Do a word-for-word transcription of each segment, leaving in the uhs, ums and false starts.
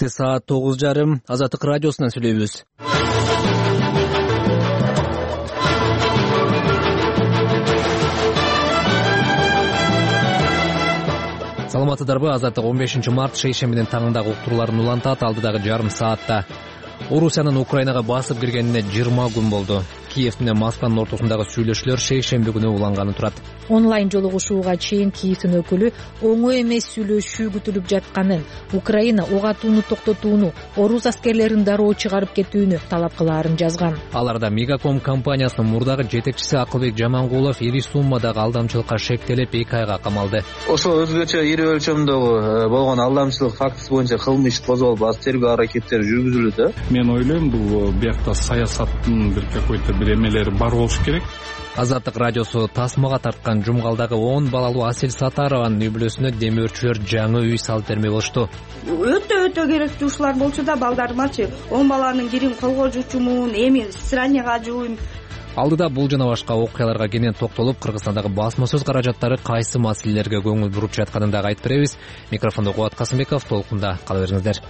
Эртең саат тогуз жарым Азаттык радиосунан сүйлөйбүз. Саламатсыздарбы? Азаттык он бешинчи март шейшембинин таңындагы уктурууларын улантат. Алдыдагы жарым саатта Орусиянын Украинага басып киргенине жыйырма күн болду. Киев менен Москванын ортосундагы сүйлөшүүлөр шейшемби күнү уланганы турат. Онлайн жолугушууга чейин Киевдин өкүлү оңой эмес сүйлөшүү күтүлүп жатканын, Украина ок атууну токтотууну, орус аскерлерин дароо чыгарып кетүүнү талап кылаарын жазган. Аларда Мегаком компаниясынын мурдагы жетекчиси Акылбек Жамангулов ири суммадагы алдамчылыкка шектелип эки айга камалды. Ошо өзгөчө ири өлчөмдөгү болгон алдамчылык фактысы боюнча кылмыш иш козголуп, аз тергөө аракеттери жүргүзүлүүдө. Мен ойлойм, бул биякта саясаттын бир какой-то бир эмелери бар болуш керек. Азаттык радиосу тасмага тарткан Жумгалдагы он балалуу Асель Сатарованын үй-бүлөсүнө демөөрчүлөр жаңы үй салып бермей болушту. Өтө өтө керектүү ушулар болчу да, балдарымачы он баланын кирин колго жуучумун, эми страняга жууйм. Алдыда бул жана башка окуяларга кенен токтолуп, Кыргызстандагы басма сөз каражаттары кайсы маселелерге көңүл буруп жатканын дагы айтып беребиз. Микрофондо Кубат Касымбеков, толкунда кала бериңиздер.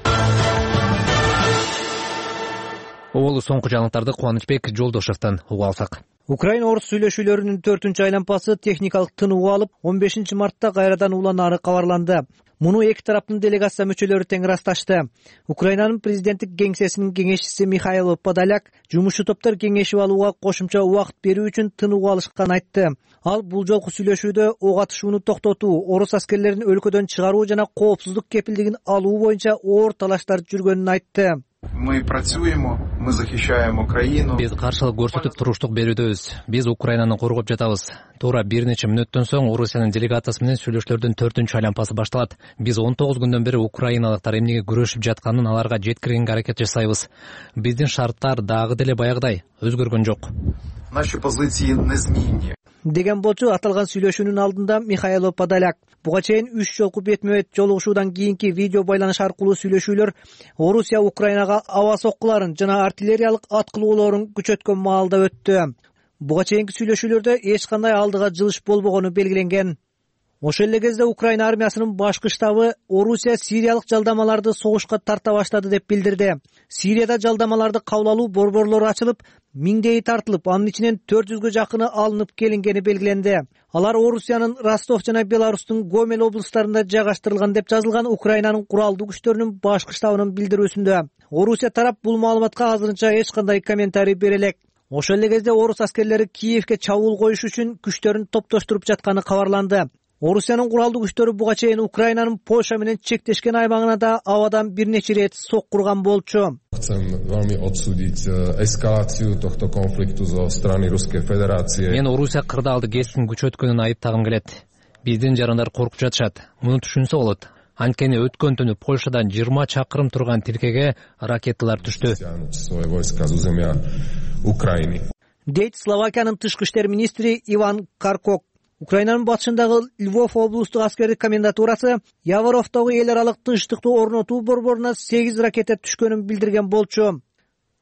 Оболу соңку жаңылыктарды Кубанычбек Жолдошевдон угуп алсак. Украина-орус сүйлөшүүлөрүнүн төртүнчү айланпасы техникалык тынуу алып, он бешинчи мартта кайрадан уланаары кабарланды. Муну эки тараптын делегация мүчөлөрү тең ырасташты. Украинанын президенттик кеңсесинин кеңешчиси Михаил Подоляк жумушчу топтор кеңешип алууга кошумча убакыт берүү үчүн тынуу алышканын айтты. Ал бул жолку сүйлөшүүдө ок атышууну токтотуу, орус аскерлерин өлкөдөн чыгаруу жана коопсуздук кепилдигин алуу боюнча оор талаштар жүргөнүн айтты. Мы працюємо, мы захищаем Украину. Биз каршылык көрсөтүп туруштук берүүдөбүз. Биз Украинаны коргоп жатабыз. Туура бир нече мүнөттөн соң Орусиянын делегациясы менен сүйлөшүүлөрдүн төртүнчү айланпасы башталат. Биз он тогуз күндөн бери украиналыктар эмнеге күрөшүп жатканын аларга жеткиргенге аракет жасайбыз. Биздин шарттар дагы деле баягыдай өзгөргөн жок. Наши позиции незминни. Деген болчу аталган сүйлөшүүнүн алдында Михаил Подоляк. Буга чейин үч жолку бетме-бет жолугушуудан кийинки видео байланыш аркылуу сүйлөшүүлөр Орусия Украинага аба соккуларын жана артиллериялык аткылоолорун күчөткөн маалда өттү. Буга чейинки сүйлөшүүлөрдө эч кандай алдыга жылыш болбогону белгиленген. Ошол эле кезде Украина армиясынын башкы штабы Орусия сириялык жалдамаларды согушка тарта баштады деп билдирди. Сирияда жалдамаларды кабыл алуу борборлору ачылып, миңдейи тартылып, анын ичинен төрт жүзгө жакыны алынып келингени белгиленди. Алар Орусиянын Ростов жана Беларустун Гомель облустарында жайгаштырылган деп жазылган Украинанын куралдуу күчтөрүнүн башкы штабынын билдирүүсүндө. Орусия тарап бул маалыматка азырынча эч кандай комментарий бере элек. Ошол эле кезде орус аскерлери Киевге чабуул коюш үчүн күчтөрүн топтоштуруп жатканы кабарланды. Орусиянын куралдуу күчтөрү буга чейин Украинанын Польша менен чектешкен аймагына да абадан бир нече ирет соккурган болчу. Мен Орусия кырдаалды кескин күчөткөнүн айыптагым келет. Биздин жарандар коркуп жатышат. Муну түшүнсө болот. Анткени өткөн түнү Польшадан жыйырма чакырым турган тилкеге ракеталар түштү. Дейт Словакиянын тышкы иштер министри Иван Каркок. Украинанын батышындагы Львов облустук аскердик комендатурасы Яворовдогу эл аралык тынчтыкты орнотуу борборуна сегиз ракета түшкөнүн билдирген болчу.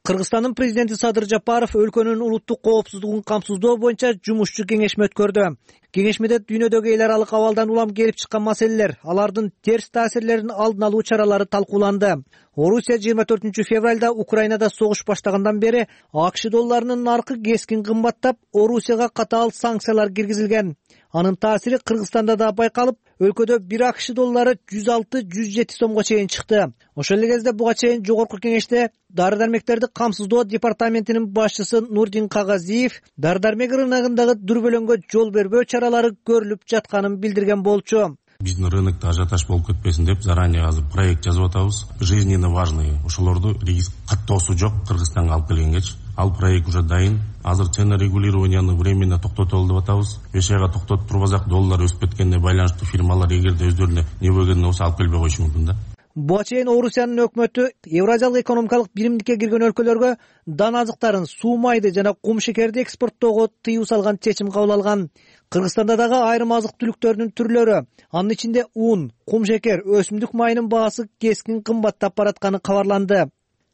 Кыргызстандын президенти Садыр Жапаров өлкөнүн улуттук коопсуздугун камсыздоо боюнча жумушчу кеңешме өткөрдү. Кеңешмеде дүйнөдөгү эл аралык абалдан улам келип чыккан маселелер, алардын терс таасирлерин алдын алуу чаралары талкууланды. Орусия жыйырма төртүнчү февралда Украинада согуш баштагандан бери АКШ долларынын наркы кескин кымбаттап, Орусияга катаал санкциялар киргизилген. Анын таасири Кыргызстанда да байкалып, өлкөдө бир АКШ доллары жүз алты — жүз жети сомго чейин чыкты. Ошол эле кезде буга чейин жогорку кеңеште дары-дармектерди камсыздоо департаментинин башчысы Нурдин Кагазиев дары-дармек рыногундагы дүрбөлөңгө жол бербөө чаралары көрүлүп жатканын билдирген болчу. Биздин рынокто ажиотаж болуп кетпесин деп заранее азыр проект жазып атабыз. Жизненно важный ошолорду каттоосу жок Кыргызстанга алып келгенгечи. Ал проект уже дайын. Азыр цена регулированияны временно токтотолу деп атабыз. беш айга токтотуп турбасак, доллар өсүп кеткенине байланыштуу фирмалар эгерде өздөрүнө не бөлгөнү болсо алып келбей коюшу мүмкүн да. Буга чейин Орусиянын өкмөтү Евразиялык экономикалык биримдикке кирген өлкөлөргө дан азыктарын, суу майды жана кум шекерди экспорттоого тыюу салган чечим кабыл алган. Кыргызстанда дагы айрым азык түлүктөрдүн түрлөрү, анын ичинде ун, кум шекер, өсүмдүк майынын баасы кескин кымбаттап баратканы кабарланды.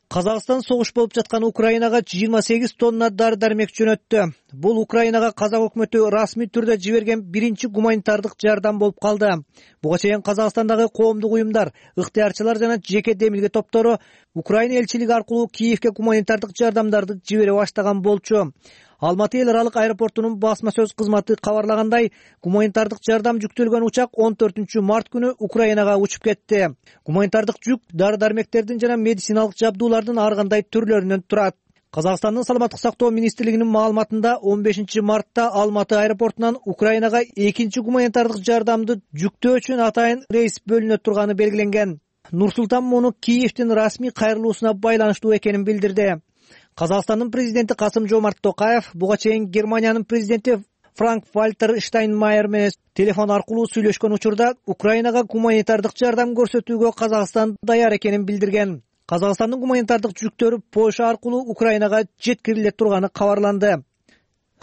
Казакстан согуш болуп жаткан Украинага жыйырма сегиз тонна дары-дармек жөнөттү. Бул Украинага казак өкмөтү расмий түрдө жиберген биринчи гуманитардык жардам болуп калды. Буга чейин Казакстандагы коомдук уюмдар, ыктыярчылар жана жеке демилге топтору Украина элчилиги аркылуу Киевке гуманитардык жардамдарды жибере баштаган болчу. Алматы эл аралык аэропортунун басма сөз кызматы кабарлагандай, гуманитардык жардам жүктөлгөн учак он төртүнчү март күнү Украинага учуп кетти. Гуманитардык жүк дары-дармектердин жана медициналык жабдуулардын ар кандай түрлөрүнөн турат. Казакстандын саламаттык сактоо министрлигинин маалыматында он бешинчи мартта Алматы аэропортунан Украинага экинчи гуманитардык жардамды жүктөө үчүн атайын рейс бөлүнө турганы белгиленген. Нур-Султан муну Киевдин расмий кайрылуусуна байланыштуу экенин билдирди. Казакстандын президенти Касым-Жомарт Токаев буга чейин Германиянын президенти Франк-Вальтер Штайнмайер менен телефон аркылуу сүйлөшкөн учурда Украинага гуманитардык жардам көрсөтүүгө Казакстан даяр экенин билдирген. Казакстандын гуманитардык жүктөрү Польша аркылуу Украинага жеткириле турганы кабарланды.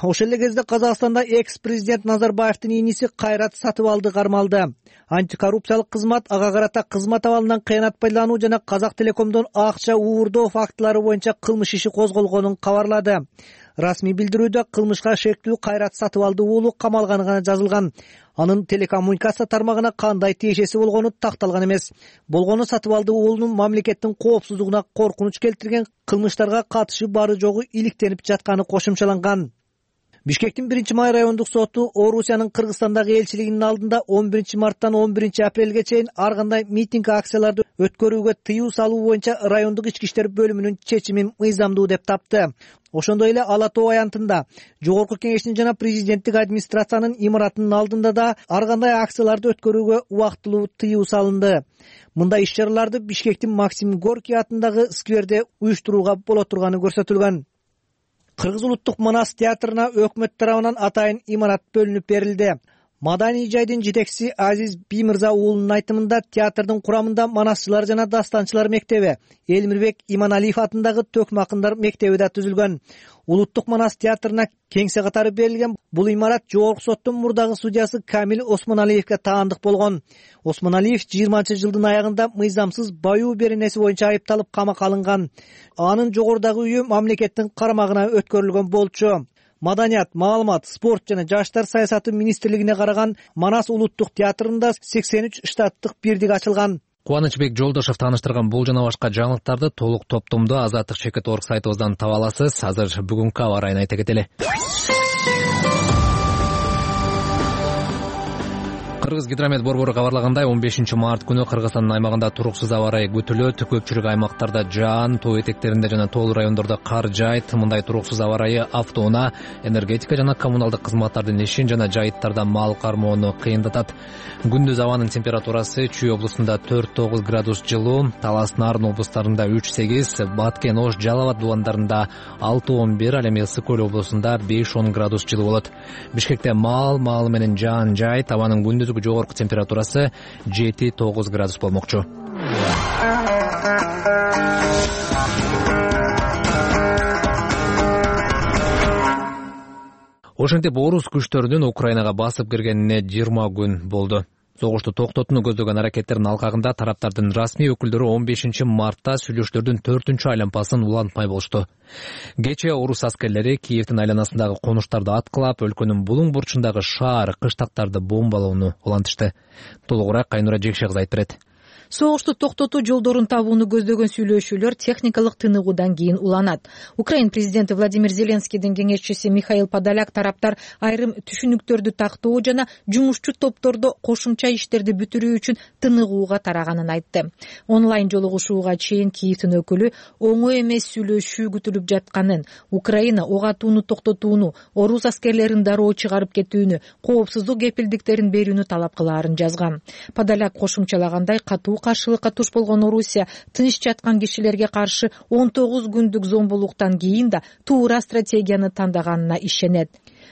Ошол эле кезде Казакстанда экс-президент Назарбаевдин иниси Кайрат Сатыбалды кармалды. Антикоррупциялык кызмат ага карата кызмат абалынан кыянат пайдалануу жана Казак Телекомдон акча уурдоо фактылары боюнча кылмыш иши козголгонун кабарлады. Расмий билдирүүдө кылмышка шектүү Кайрат Сатыбалды уулу камалганы гана жазылган. Анын телекоммуникация тармагына кандай тиешеси болгону такталган эмес. Болгону Сатыбалды уулунун мамлекеттин коопсуздугуна коркунуч келтирген кылмыштарга катышы бары жогу иликтенип жатканы кошумчаланган. Бишкектин биринчи май райондук соту Орусиянын Кыргызстандагы элчилигинин алдында он биринчи марттан он биринчи апрелге чейин ар кандай митинг акцияларды өткөрүүгө тыюу салуу боюнча райондук ички иштер бөлүмүнүн чечимин мыйзамдуу деп тапты. Ошондой эле Ала Тоо аянтында, Жогорку Кеңештин жана президенттик администрациянын имаратынын алдында да ар кандай акцияларды өткөрүүгө убактылуу тыюу салынды. Мындай иш-чараларды Бишкектин Максим Горький атындагы скверде уюштурууга боло турганы көрсөтүлгөн. Кыргыз улуттук манас театрына өкмөт тарабынан атайын имарат бөлүнүп берилди. Маданий жайдын жетекчиси Азиз Бимирза уулунун айтымында театрдын курамында манасчылар жана дастанчылар мектеби, Элмирбек Иманалиев атындагы төкмө акындар мектеби да түзүлгөн. Улуттук манас театрына кеңсе катары берилген бул имарат Жогорку соттун мурдагы судьясы Камил Осмоналиевке таандык болгон. Осмоналиев жыйырманчы жылдын аягында мыйзамсыз баюу беренеси боюнча айыпталып камакка алынган. Анын жогорудагы үйү мамлекеттин карамагына өткөрүлгөн болчу. Маданият, маалымат, спорт жана жаштар саясаты министрлигине караган Манас улуттук театрында сексен үч штаттык бирдик ачылган. Кубанычбек Жолдошов тааныштырган бул жана башка жаңылыктарды толук топтомдо Азаттык чекит орг сайтыбыздан таба аласыз. Азыр бүгүнкү аба ырайын айта кетели. Кыргыз гидромет борбору кабарлагандай, он бешинчи март күнү Кыргызстандын аймагында туруксуз аба ырайы күтүлөт. Көпчүлүк аймактарда жаан, тоо этектеринде жана тоолуу райондордо кар жаайт. Мындай туруксуз аба ырайы автоунаа, энергетика жана коммуналдык кызматтардын ишин жана жайыттарда мал кармоону кыйындатат. Күндүз абанын температурасы Чүй облусунда төрт тогуз градус жылуу, Талас Нарын облустарында үч сегиз, Баткен, Ош, Жалал Абад дубандарында алты он бир, ал эми Ысык Көл облусунда беш он градус жылуу болот. Бишкекте мал, маалы менен жаан жайыт, абанын күндүз жогорку температурасы жети тогуз градус болмокчу. Ошентип орус күчтөрүнүн Украинага басып киргенине жыйырма күн болду. Согушту токтотууну көздөгөн аракеттердин алкагында тараптардын расмий өкүлдөрү он бешинчи мартта сүйлөшүүлөрдүн төртүнчү айланпасын улантмай болушту. Кечээ орус аскерлери Киевдин айланасындагы конуштарды аткылап, өлкөнүн булуң бурчундагы шаар, кыштактарды бомбалоону улантышты. Толугураак Кайнура Жекше кызы айтып берет. Согушту токтотуу жолдорун табууну көздөгөн сүйлөшүүлөр техникалык тыныгуудан кийин уланат. Украин президенти Владимир Зеленскийдин кеңешчиси Михаил Подоляк тараптар айрым түшүнүктөрдү тактоо жана жумушчу топтордо кошумча иштерди бүтүрүү үчүн тыныгууга тараганын айтты. Онлайн жолугушууга чейин Киевдин өкүлү оңой эмес сүйлөшүү күтүлүп жатканын, Украина ок атууну токтотууну, орус аскерлерин дароо чыгарып кетүүнү, коопсуздук кепилдиктерин берүүнү талап кылаарын жазган. Подоляк кошумчалагандай, катуу каршылыкка туш болгон Орусия тынч жаткан кишилерге каршы он тогуз күндүк зомбулуктан кийин да туура стратегияны тандаганына ишенет.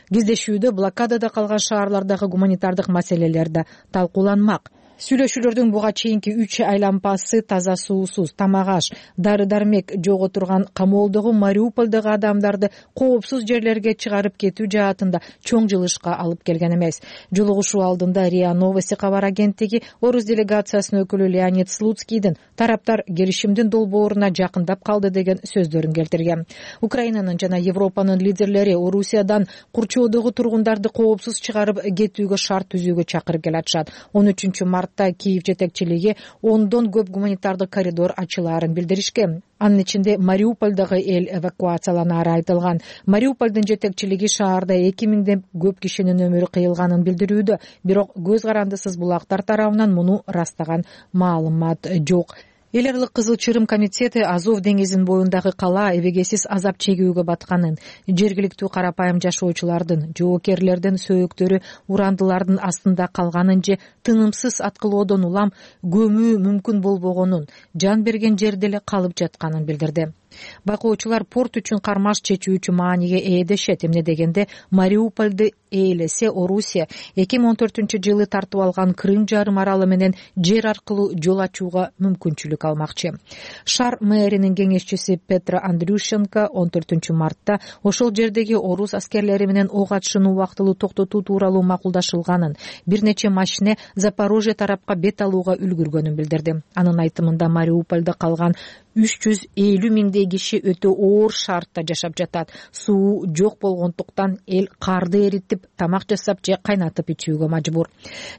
Кездешүүдө блокадада калган шаарлардагы гуманитардык маселелер да талкууланмак. Сүйлөшүүлөрдүн буга чейинки үч айланпасы таза суусуз, тамак аш, дары дармек жок отурган камоолдогу Мариуполдогу адамдарды коопсуз жерлерге чыгарып кетүү жаатында чоң жылышка алып келген эмес. Жолугушуу алдында РИА Новости кабар агенттиги орус делегациясынын өкүлү Леонид Слуцкийдин тараптар келишимдин долбооруна жакындап калды деген сөздөрүн келтирген. Украинанын жана Европанын лидерлери Орусиядан курчоодогу тургундарды коопсуз чыгарып кетүүгө шарт түзүүгө чакырып келатышат. он үчүнчү мартта Киев жетекчилиги ондон көп гуманитардык коридор ачылаарын билдиришкен. Анын ичинде Мариуполдогу эл эвакуацияланаары айтылган. Мариуполдун жетекчилиги шаарда эки миңден көп кишинин өмүрү кыйылганын билдирүүдө, бирок көз карандысыз булактар тарабынан муну ырастаган маалымат жок. Эл аралык Кызыл Чырым комитети Азов деңизинин боюндагы кала эбегесиз азап чегүүгө батканын, жергиликтүү карапайым жашоочулардын, жоокерлердин сөөктөрү урандылардын астында калганын же тынымсыз аткылоодон улам көмүү мүмкүн болбогонун, жан берген жерде эле калып жатканын билдирди. Байкоочулар порт үчүн кармаш чечүүчү мааниге ээ дешет. Эмне дегенде Мариуполду ээлесе Орусия эки миң он төртүнчү жылы тартып алган Крым жарым аралы менен жер аркылуу жол ачууга мүмкүнчүлүк алмакчы. Шаар мэринин кеңешчиси Петра Андрющенко он төртүнчү мартта ошол жердеги орус аскерлери менен ок атышууну убактылуу токтотуу тууралуу макулдашылганын, бир нече машине Запорожье тарапка бет алууга үлгүргөнүн билдирди. Анын айтымында Мариуполдо калган үч жүз элүү миңдей киши өтө оор шартта жашап жатат. Суу жок болгондуктан эл карды эритип, тамак жасап же кайнатып ичүүгө мажбур.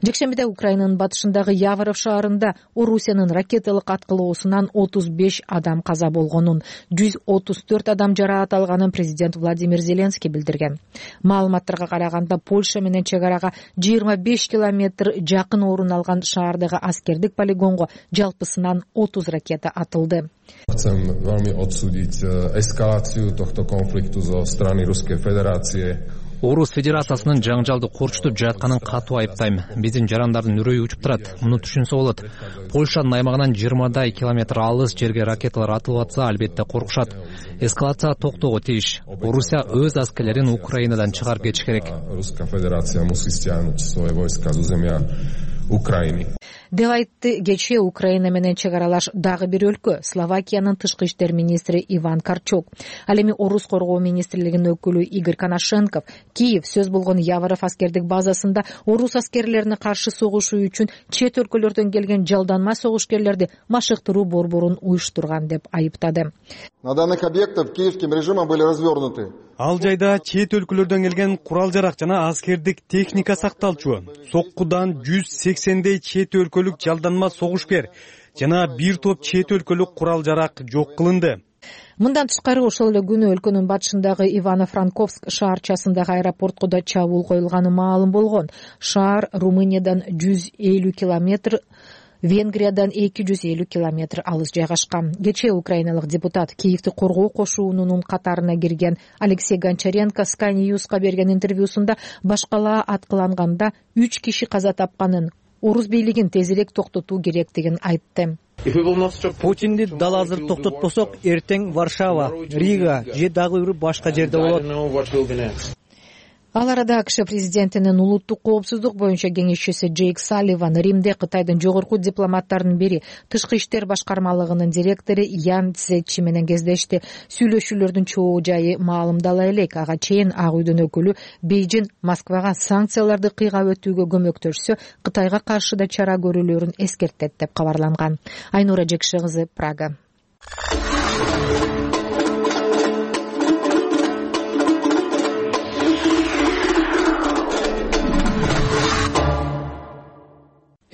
Жекшембиде Украинанын батышындагы Яворов шаарында Орусиянын ракеталык аткылоосунан отуз беш адам каза болгонун, жүз отуз төрт адам жараат алганын президент Владимир Зеленский билдирген. Маалыматтарга караганда Польша менен чек арага жыйырма беш километр жакын орун алган шаардагы аскердик полигонго жалпысынан отуз ракета атылды. Chcem veľmi odsúdiť eskaláciu tohto konfliktu zo strany Ruskej Federácie. Орус Федерациясынын жаңжалды корчутуп жатканын катуу айыптайм. Биздин жарандардын үрөйү учуп турат. Муну түшүнсө болот. Польшанын аймагынан жыйырмадай километр алыс жерге ракеталар атылып атса, албетте коркушат. Эскалация токтоого тийиш. Орусия өз аскерлерин Украинадан чыгарып кетиш керек. Ruska Federacija musi stjahnuti svoje vojska z zemlja Украины. Деп айтты кечээ Украина менен чек аралаш дагы бир өлкө, Словакиянын тышкы иштер министри Иван Карчук. Ал эми орус коргоо министрлигинин өкүлү Игорь Коношенков Киев сөз болгон Яворов аскердик базасында орус аскерлерине каршы согушуу үчүн чет өлкөлөрдөн келген жалданма согушкерлерди машыктыруу борборун уюштурган деп айыптады. На данных объектах киевским режимом были развернуты. Ал жайда чет өлкөлөрдөн келген курал-жарак жана аскердик техника сакталчу. Соккудан жүз сексендей чет өлкөлүк жалданма согушкер жана бир топ чет өлкөлүк курал-жарак жок кылынды. Мындан тышкары ошол эле күнү өлкөнүн батышындагы Ивано-Франковск шаарчасындагы аэропортко да чабуул коюлганы маалым болгон. Шаар Румыниядан жүз элүү километр, Венгриядан эки жүз элүү километр алыс жайгашкан. Кечээ украиналык депутат Киевди коргоо кошуунунун катарына кирген Алексей Гончаренко Sky News'ка берген интервьюсунда башкалаа аткыланганда үч киши каза тапканын, орус бийлигин тезирээк токтотуу керектигин айтты. Путинди дал азыр токтотпосок, эртең Варшава, Рига же дагы бир башка жерде болот. Ал арада АКШ президентинин улуттук коопсуздук боюнча кеңешчиси Джейк Салливан Римде Кытайдын жогорку дипломаттарынын бири, тышкы иштер башкармалыгынын директору Ян Цзечи менен кездешти. Сүйлөшүүлөрдүн чоо жайы маалымдала элек. Ага чейин Ак үйдүн өкүлү Бейжин Москвага санкцияларды кыйгап өтүүгө көмөктөшсө, Кытайга каршы да чара көрүүлөрүн эскертет деп кабарланган. Айнура Жекши кызы, Прага.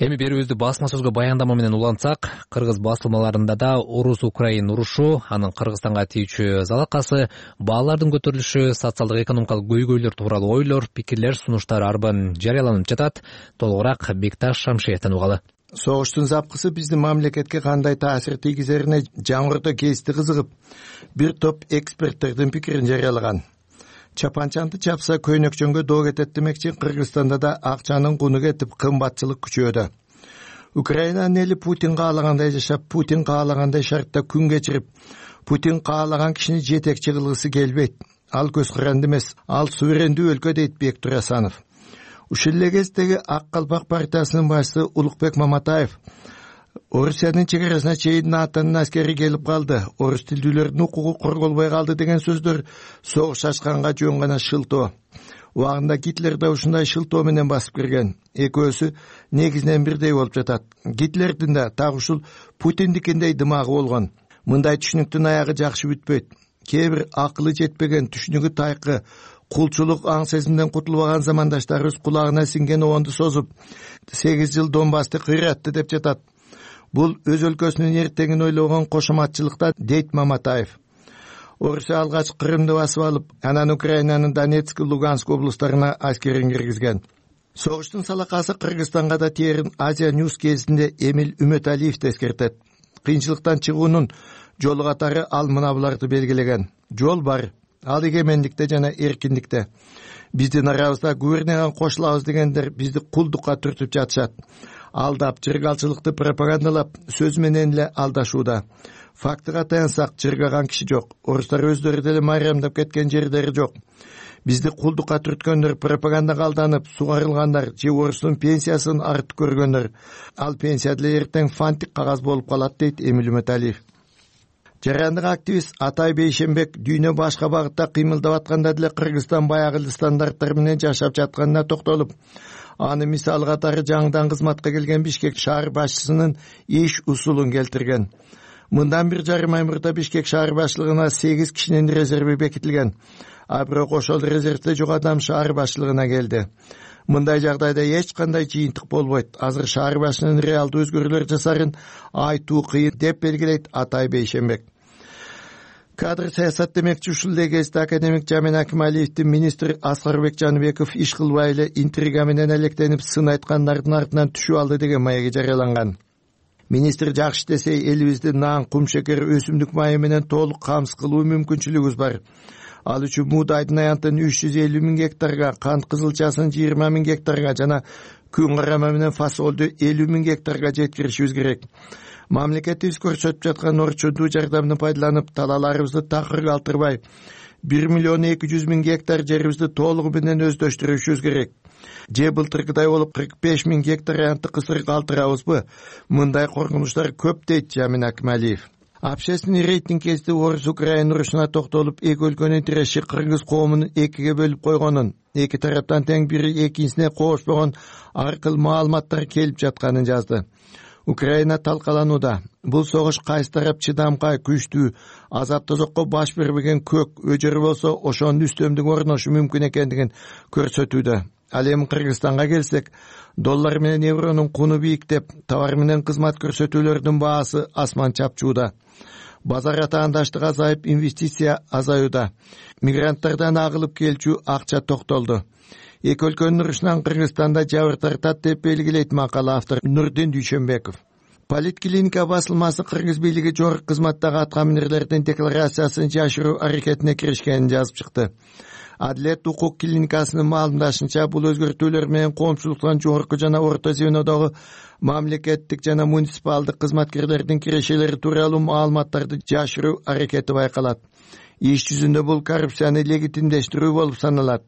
Эми берүүбүздү басма сөзгө баяндама менен улантсак, кыргыз басылмаларында да орус-украин урушу, анын Кыргызстанга тийүүчү залакасы, баалардын көтөрүлүшү, социалдык экономикалык көйгөйлөр тууралуу ойлор, пикирлер, сунуштар арбан жарыяланып жатат. Толугураак Бекташ Шамшиевден угалы. Согуштун запкысы биздин мамлекетке кандай таасир тийгизерине жаңырды кезде кызыгып, бир топ эксперттердин пикирин жарыялаган. Чапанчанды чапса көйнөкчөнгө доо кетет демекчи, Кыргызстанда да акчанын куну кетип, кымбатчылык күчөдө. Украинанын эли Путин каалагандай жашап, Путин каалагандай шартта күн кечирип, Путин каалаган кишини жетекчи кылгысы келбейт. Ал көз каранды эмес, ал суверендүү өлкө дейт Бектур Асанов. ушул эле кездеги Ак калпак партиясынын башчысы Улукбек Маматаев Орусиянын чек арасына чейин НАТОнун аскери келип калды, орус тилдүүлөрдүн укугу корголбой калды деген сөздөр согуш ачканга жөн гана шылтоо. Убагында Гитлер да ушундай шылтоо менен басып кирген. Экөөсү негизинен бирдей болуп жатат. Гитлердин да так ушул Путиндикиндей дымагы болгон. Мындай түшүнүктүн аягы жакшы бүтпөйт. Кээ бир акылы жетпеген, түшүнүгү тайкы, кулчулук аң сезимден кутулбаган замандаштарыбыз кулагына сиңген оонду созуп, сегиз жыл Донбассты кыйратты деп жатат. Бул өз өлкөсүнүн эртеңин ойлогон кошоматчылыкта, дейт Маматаев. Орусия алгач Крымды басып алып, анан Украинанын Донецк, Луганск облустарына аскерин киргизген. Согуштун салакасы Кыргызстанга да тээрин Азия News кезинде Эмил Үмөталиев эскертет. Кыйынчылыктан чыгуунун жолу катары ал мына буларды белгилеген. Жол бар, ал эгемендикте жана эркиндикте. Биздин арабызда губернияга кошулабыз дегендер бизди кулдукка түртүп жатышат. Алдап, жыргалчылыкты пропагандалап, сөз менен эле алдашууда. Фактыга таянсак, жыргаган киши жок. Орустар өздөрү деле майрамдап кеткен жерлери жок. Бизди кулдукка түрткөндөр, пропагандага алданып, сугарылгандар, же орустун пенсиясын артып көргөндөр. Ал пенсия деле эртең фантик кагаз болуп калат, дейт Эмил Үмөталиев. Жарандык активист Атай Бейшенбек дүйнө башка багытта кыймылдап атканда деле Кыргызстан баягы стандарттар менен жашап жатканына токтолуп, аны мисал катары жаңыдан кызматка келген Бишкек шаар башчысынын иш усулун келтирген. Мындан бир жарым ай мурда Бишкек шаар башчылыгына сегиз кишинин резерви бекитилген. А бирок ошол резервде жок адам шаар башчылыгына келди. Мындай жагдайда эч кандай жыйынтык болбойт. Азыр шаар башчынын реалдуу өзгөрүүлөр жасарын айтуу кыйын, деп белгилейт Атай Бейшенбек. Кадр саясат демекчи ушул эле кезде академик Жамин Акималиевдин министр Аскарбек Жаныбеков иш кылбай эле интрига менен электенип сын айткандардын артынан түшүп алды деген маеги жарыяланган. Министр жакшы десе элибизди нан, кум шекер, өсүмдүк майы менен толук камсыз кылуу мүмкүнчүлүгүбүз бар. Ал үчүн муудайдын аянтын үч жүз элүү миң гектарга, кант кызылчасын жыйырма миң гектарга жана күн карама менен фасолду элүү миң гектарга жеткиришибиз керек. Мамлекетибиз көрсөтүп жаткан орчундуу жардамды пайдаланып, талааларыбызды такыр калтырбай, бир миллион эки жүз миң гектар жерибизди толугу менен өздөштүрүшүбүз керек. Же былтыркыдай болуп кырк беш миң гектар аянтты кысыр калтырабызбы? Мындай коркунучтар көп, дейт Жамин Акималиев. Общественный рейтинг кезде Орус-Украин урушуна токтолуп, эки өлкөнүн тиреши кыргыз коомун экиге бөлүп койгонун, эки тараптан тең бири экинчисине кошпогон ар кыл маалыматтар келип жатканын жазды. Украина талкаланууда. Бул согуш кайсы тарап чыдамкай, күчтүү, азап тозокко баш бербеген көк өжөрү болсо, ошонун үстөмдүк орношу мүмкүн экендигин көрсөтүүдө. Ал эми Кыргызстанга келсек, доллар менен евронун куну бийиктеп, товар менен кызмат көрсөтүүлөрдүн баасы асман чапчууда. Базар атаандаштык азайып, инвестиция азаюуда. Мигранттардан агылып келчү акча токтолду. Эки өлкөнүн урушунан Кыргызстанда жабыр тартат, деп белгилейт макала автор Нурдин Дүйшөнбеков. Политклиника басылмасы Кыргыз бийлиги жогорку кызматтагы аткаминерлердин декларациясын жашыруу аракетине киришкенин жазып чыкты. Адилет укук клиникасынын маалымдашынча, бул өзгөртүүлөр менен коомчулуктун жогорку жана орто звенодогу мамлекеттик жана муниципалдык кызматкерлердин кирешелери тууралуу маалыматтарды жашыруу аракети байкалат. Иш жүзүндө бул коррупцияны легитимдештирүү болуп саналат.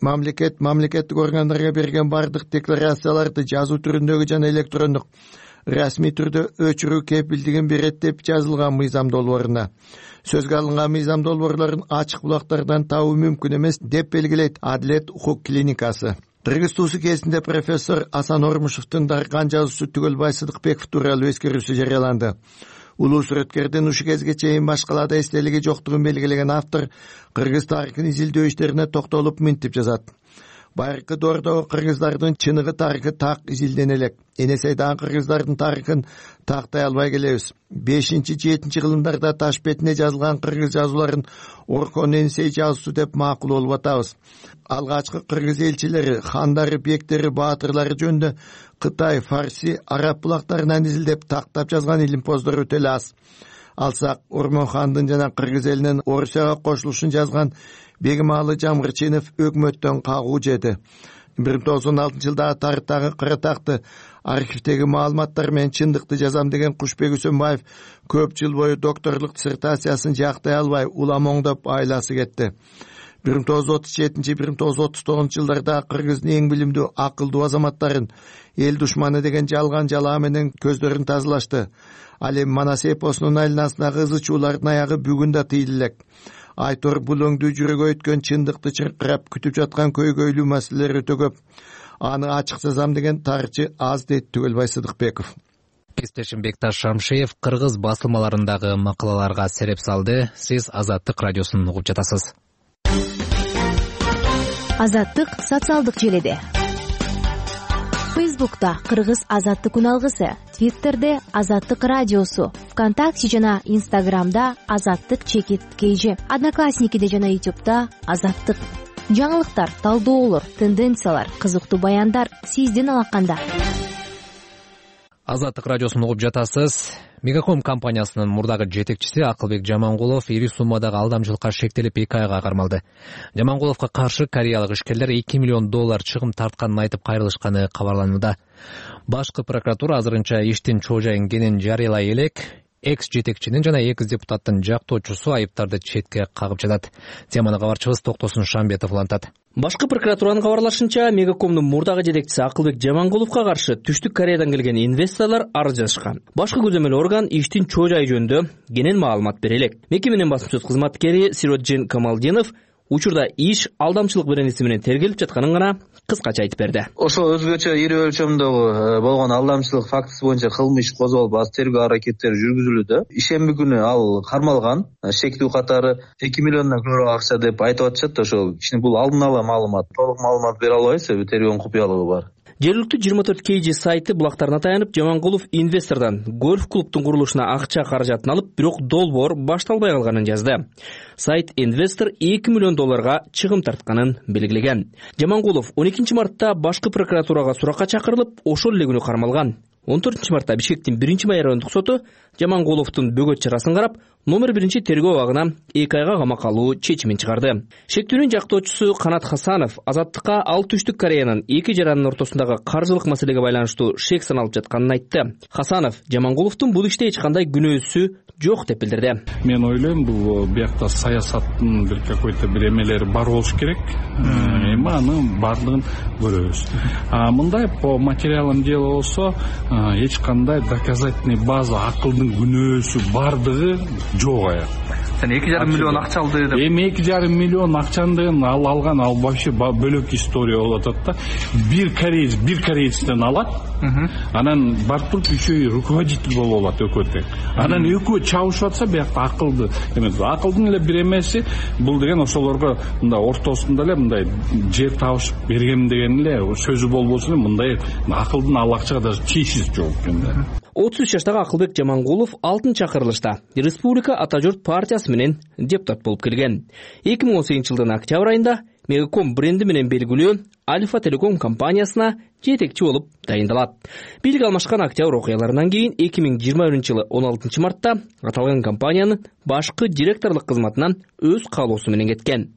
Мамлекет мамлекеттик органдарга берген бардык декларацияларды жазуу түрүндөгү жана электрондук расмий түрдө өчүрүү кепилдигин берет, деп жазылган мыйзам долбооруна. Сөзгө алынган мыйзам долбоорлорун ачык булактардан табуу мүмкүн эмес, деп белгилейт Адилет укук клиникасы. Кыргыз туусу кезинде профессор Асан Ормушевдин дарыган жазуучу Түгөлбай Сыдыкбеков тууралуу эскерүүсү жарыяланды. Улуу сүрөткердин ушу кезге чейин башкаларда эстелиги жоктугун белгилеген автор кыргыз тарыхын изилдөө иштерине токтолуп мынтип жазат. Байыркы доордогу кыргыздардын чыныгы тарыхы так изилдене элек. Энесейдагы кыргыздардын тарыхын тактай албай келебиз. бешинчи жетинчи кылымдарда таш бетине жазылган кыргыз жазууларын Оркон Энесей жазуусу деп макул болуп атабыз. Алгачкы кыргыз элчилери, хандары, бектери, баатырлары жөнүндө Кытай, Фарси, араб булактарынан изилдеп тактап жазган илимпоздор өтө эле аз. Алсак, Ормон хандын жана кыргыз элинин Орусияга кошулушун жазган Бегималы Жамгырчинов өкмөттөн кагуу жеди. бир миң тогуз жүз он алтынчы жылдагы тарыхтагы Кыратакты архивдеги маалыматтар менен чындыкты жазам деген Кушбек Үсөнбаев көп жыл бою докторлук диссертациясын жактай албай улам оңдоп айласы кетти. бир миң тогуз жүз отуз жетинчи бир миң тогуз жүз отуз тогузунчу жылдарда Кыргыздын эң билимдүү акылдуу азаматтарын эл душманы деген жалган жалаа менен көздөрүн тазалашты. Ал эми Манас эпосунун айланасындагы ызы чуулардын аягы бүгүн да тыйыл элек. Айтор бул өңдүү жүрөгө өткөн чындыкты чыркырап күтүп жаткан көйгөйлүү маселелер өтө көп. Аны ачык жазам деген тарыхчы аз дейт Түгөлбай Сыдыкбеков. Кесиптешим Бекташ Шамшиев кыргыз басылмаларындагы макалаларга сереп салды. Сиз Азаттык радиосун угуп жатасыз. Азаттык социалдык желеде. Фейсбукта Кыргыз Азаттык үналгысы, Твиттерде Азаттык радиосу, ВКонтакте жана Инстаграмда Азаттык чекит кейжи, Одноклассникиде жана Ютубта Азаттык. Жаңылыктар, талдоолор, тенденциялар, кызыктуу баяндар сиздин алаканда. Азаттык радиосун угуп жатасыз. Мегаком компаниясынын мурдагы жетекчиси Акылбек Жамангулов ири суммадагы алдамчылыкка шектелип эки айга кармалды. Жамангуловго каршы кореялык ишкерлер эки миллион доллар чыгым тартканын айтып кайрылышканы кабарланууда. Башкы прокуратура азырынча иштин чоо жайын кенен жарыялай элек. Экс жетекчинин жана экс депутаттын жактоочусу айыптарды четке кагып жатат. Теманы кабарчыбыз Токтосун Шамбетов улантат. Башкы прокуратуранын кабарлашынча, Мегакомдун мурдагы жетекчиси Акылбек Жамангуловго каршы Түштүк Кореядан келген инвесторлор арыз жазышкан. Башкы көзөмөл орган иштин чоо жайы жөнүндө кенен маалымат бере элек. Мекеменин басма сөз кызматкери Сироджин Камалдинов учурда иш алдамчылык беренеси менен тергелип жатканын гана кыскача айтып берди. Ошо өзгөчө ири өлчөмдөгү болгон алдамчылык фактысы боюнча кылмыш козголуп, аз тергөө аракеттери жүргүзүлүүдө. Ишемби күнү ал кармалган. Шектүү катары эки миллиондон көрө акча деп айтып атышат. Ошо кичине бул алдын ала маалымат. Толук маалымат бере албайбыз, себеби тергөөнүн купуялыгы бар. Жергиликтүү жыйырма төрт кей жи сайты булактарына таянып, Жамангулов инвестордон гольф клубтун курулушуна акча каражатын алып, бирок долбоор башталбай калганын жазды. Сайт инвестор эки миллион долларга чыгым тартканын белгилеген. Жамангулов он экинчи мартта башкы прокуратурага суракка чакырылып, ошол эле күнү кармалган. он төртүнчү мартта Бишкектин биринчи май райондук соту Жамангуловдун бөгөт чарасын карап, номер биринчи тергөө абагына эки айга камакка алуу чечимин чыгарды. Шектүүнүн жактоочусу Канат Хасанов Азаттыкка ал Түштүк Кореянын эки жаранын ортосундагы каржылык маселеге байланыштуу шек саналып жатканын айтты. Хасанов Жамангуловдун бул иште эч кандай күнөөсү жок деп билдирди. Мен ойлойм, бул биякта саясаттын бир какой-то бир эмелери бар болуш керек. Эми анын баардыгын көрөбүз. А мындай по материалам дела болсо, эч кандай доказательный база, акылдын күнөөсү бардыгы жок аяк. Сен эки жарым миллион акча алды деп. Эми эки жарым миллион акчаны ал алган, ал вообще бөлөк история болуп атат да. Бир кореец, бир кореецтен алат. Анан барып туруп еще и руководитель болуп алат өкөтөк. Анан экөө чабышып атса, биякта акылды эмес. Акылдын эле бир эмеси бул деген ошолорго мындай ортосунда эле мындай жер табышып берген деген эле сөзү болбосун, мындай акылдын ал акчага даже тиешеси жок экен да. отуз үч жаштагы Акылбек Жамангулов алтынчы чакырылышта Республика Ата журт партиясы менен депутат болуп келген. эки миң он сегизинчи жылдын октябрь айында Мегаком бренди менен белгилүү Альфа Телеком компаниясына жетекчи болуп дайындалат. Бийлик алмашкан октябрь окуяларынан кийин эки миң жыйырма биринчи жылы он алтынчы мартта аталган компаниянын башкы директорлук кызматынан өз каалоосу менен кеткен.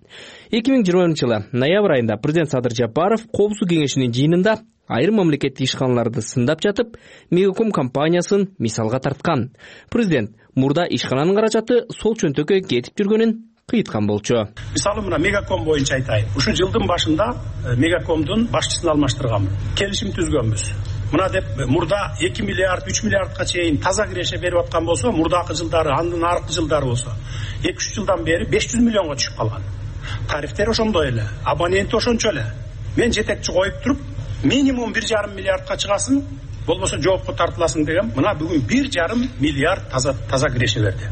эки миң жыйырма биринчи жылы ноябрь айында президент Садыр Жапаров Коопсуздук кеңешинин жыйынында айрым мамлекеттик ишканаларды сындап жатып, Мегаком компаниясын мисалга тарткан. Президент мурда ишкананын каражаты сол чөнтөккө кетип жүргөнүн кыйткан болчу. Мисалы мына Мегаком боюнча айтайын. Ушул жылдын башында Мегакомдун башчысын алмаштырганбыз. Келишим түзгөнбүз. Мына деп мурда эки миллиард, үч миллиардка чейин таза киреше берип аткан болсо, мурдакы жылдары, андан аркы жылдары болсо, эки үч жылдан бери беш жүз миллионго түшүп калган. Тарифтер ошондой эле, абоненти ошончо эле. Мен жетекчи коюп туруп, минимум бир жарым миллиардка чыгасын, болбосо жоопко тартыласың деген. Мына бүгүн бир жарым миллиард таза таза киреше берди.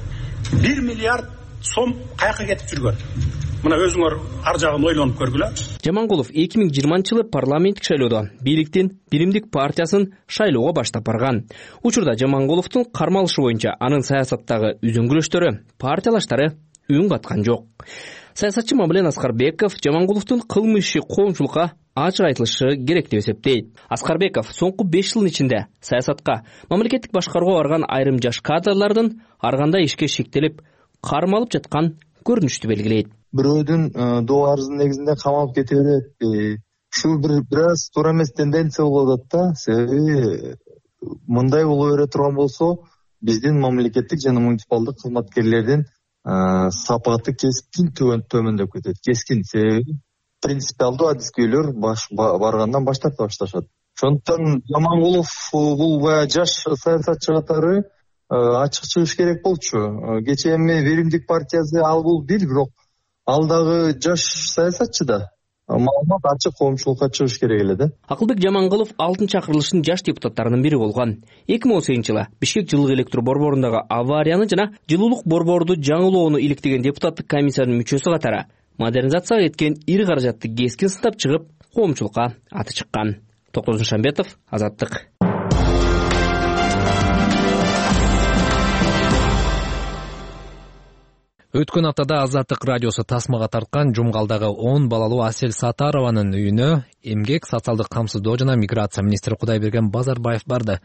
бир миллиард сом каяка кетип жүргөн. Мына өзүңөр ар жагын ойлонуп көргүлө. Жамангулов эки миң жыйырманчы жылы парламенттик шайлоодо бийликтин Биримдик партиясын шайлоого баштап барган. Учурда Жамангуловдун кармалышы боюнча анын саясаттагы үзөңгүлөштөрү, партиялаштары үн каткан жок. Саясатчы Мамлен Аскарбеков Жамангуловдун кылмышы коомчулукка ачык айтылышы керек деп эсептейт. Аскарбеков соңку беш жылдын ичинде саясатка, мамлекеттик башкарууга барган айрым жаш кадрлардын ар кандай ишке шектелип, кармалып жаткан көрүнүштү белгилейт. Бирөөдүн доо арызынын негизинде камалып кете берет. Ушул бир бир аз туура эмес тенденция болуп атат да. Себеби мындай боло бере турган болсо, биздин мамлекеттик жана муниципалдык кызматкерлердин сапаты кескин төмөндөп кетет. Кескин себеби принципиалдуу адискөйлөр баргандан баш тарта башташат. Ошондуктан Жамангулов бул баягы жаш саясатчы катары ачык чыгыш керек болчу. Кечээ эми Веримдик партиясы ал бул бир, бирок ал дагы жаш саясатчы да. Маалымат ачык коомчулукка чыгыш керек эле да. Акылбек Жамангулов алтынчы акырылыштын жаш депутаттарынын бири болгон. эки миң он сегизинчи жылы Бишкек жылуулук электр борборундагы аварияны жана жылуулук борборду жаңылоону иликтеген депутаттык комиссиянын мүчөсү катары модернизацияга кеткен ири каражатты кескин сындап чыгып, коомчулукка аты чыккан. Токозун Шамбетов, Азаттык. Өткөн аптада Азаттык радиосу тасмага тарткан Жумгалдагы он балалуу Асель Сатарованын үйүнө эмгек, социалдык камсыздоо жана миграция министри Кудайберген Базарбаев барды.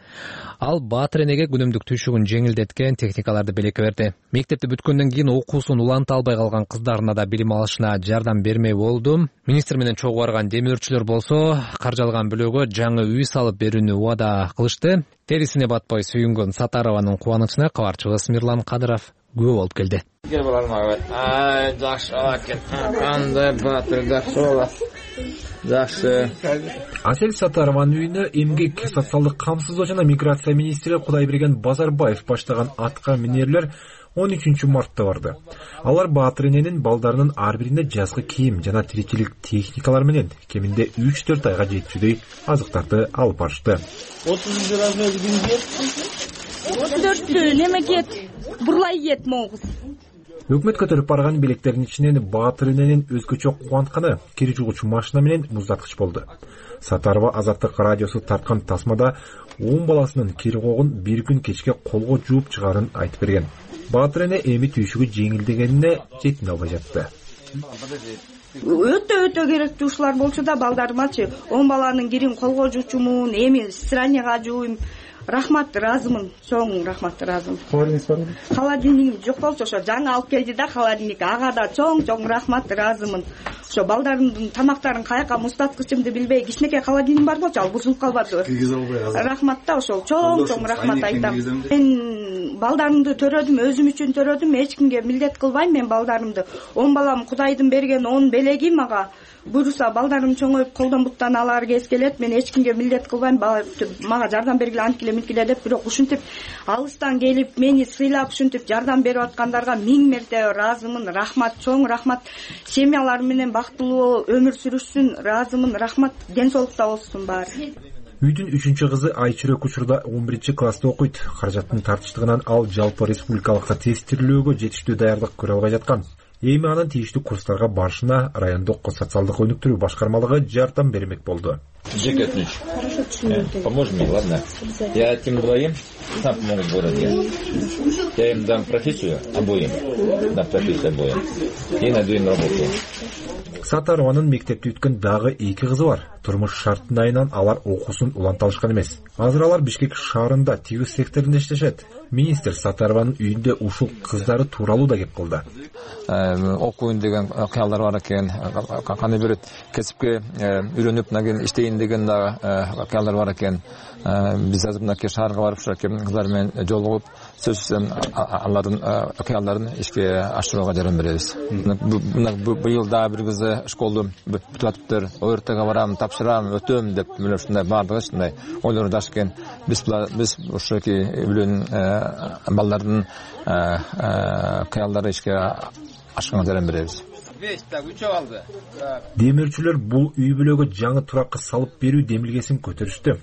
Ал баатыр энеге күнүмдүк түйшүгүн жеңилдеткен техникаларды белекке берди. Мектепти бүткөндөн кийин окуусун уланта албай калган кыздарына да билим алышына жардам бермей болду. Министр менен чогуу барган демөөрчүлөр болсо каржалган бөлөгө жаңы үй салып берүүнү убада кылышты. Терисине батпай сүйүнгөн Сатарованын кубанычына кабарчыбыз Мирлан Кадыров күбө болуп келди. Ай, жакшы экен. Кандай батыр жакшы болот. Жакшы. Асель Сатарованын үйүнө эмгек, социалдык камсыздоо жана миграция министри Кудайберген Базарбаев баштаган атка минерлер он үчүнчү мартта барды. Алар баатыр эненин балдарынын ар бирине жазгы кийим жана тиричилик техникалар менен кеминде үч төрт айга жетүүдөй азыктарды алып барышты. отузунчу размер кимге? отуз төрттү неме кет? Бурлай кет могуз. Өкмөт көтөрүп барган белектердин ичинен баатыр эненин өзгөчө кубантканы кир жугучу машина менен муздаткыч болду. Сатарова Азаттык радиосу тарткан тасмада он баласынын кир когун бир күн кечке колго жууп чыгарын айтып берген. Баатыр эне эми түйшүгү жеңилдегенине жетине албай жатты. Өтө өтө керектүү ушулар болчу да балдарымачы. он баланын кирин колго жуучумун, эми странияга жууйм. Рахмат, разымын, чоң рахмат, разым. Холодильник бар? Холодильник жок болчу, ошо жаңы алып келди да холодильник. Ага да чоң-чоң рахмат, разымын. Ошо балдарымдын тамактарын каяка муздаткычымды билбей, кичинекей холодильник бар болчу, ал бузулуп калбады. Рахмат да ошол чоң-чоң рахмат айтам. Мен балдарымды төрөдүм, өзүм үчүн төрөдүм, эч кимге милдет кылбайм мен балдарымды. он балам Кудайдын берген он белеги мага. Буюрса балдарым чоңоюп колдон буттан алар кез келет, мен эч кимге милдет кылбайм, мага жардам бергиле, анткиле милкиле деп, бирок ушинтип алыстан келип мени сыйлап ушинтип жардам берип аткандарга миң мерте разымын, рахмат, чоң рахмат. Семьялар менен бактылуу өмүр сүрүшсүн, разымын, рахмат, ден соолукта болсун баары. Үйдүн үчүнчү кызы Айчүрөк учурда он биринчи класста окуйт. Каражаттын тартыштыгынан ал жалпы республикалык тестирлөөгө жетиштүү даярдык көрө албай жаткан. Эми анын тийиштүү курстарга барышына райондук социалдык өнүктүрүү башкармалыгы жардам бермек болду. Жека ключ. Поможешь мне, ладно? Я этим двоим сам помогу в городе. Я им дам профессию обоим. Дам профессию обоим. И найду им работу. Сатарованын мектепти бүткөн дагы эки кызы бар. Турмуш шартынан алар окуусун уланта алышкан эмес. Азыр алар Бишкек шаарында тигиз секторунда иштешет. Министр Сатарованын үйүндө ушул кыздары тууралуу да кеп кылды. Окуйн деген кыялдар бар экен, кандай бир кесипке үйрөнүп мына иштейин деген да кыялдар бар экен. Биз азыр мына шаарга барып ушу кыздар менен жолугуп, сөзсүз алардын кыялдарын ишке ашырууга жардам беребиз. Быйыл да бир кызы школду бүтүп атыптыр, ОРТга барам, тапшырам, өтөм деп мына ушундай баардыгы ушундай ойлор даш экен. Биз биз ушуки үйлөн балдардын кыялдары ишке ашканга жардам беребиз. Демирчилер бул үй бүлөгө жаңы туракка салып берүү демилгесин көтөрүштү.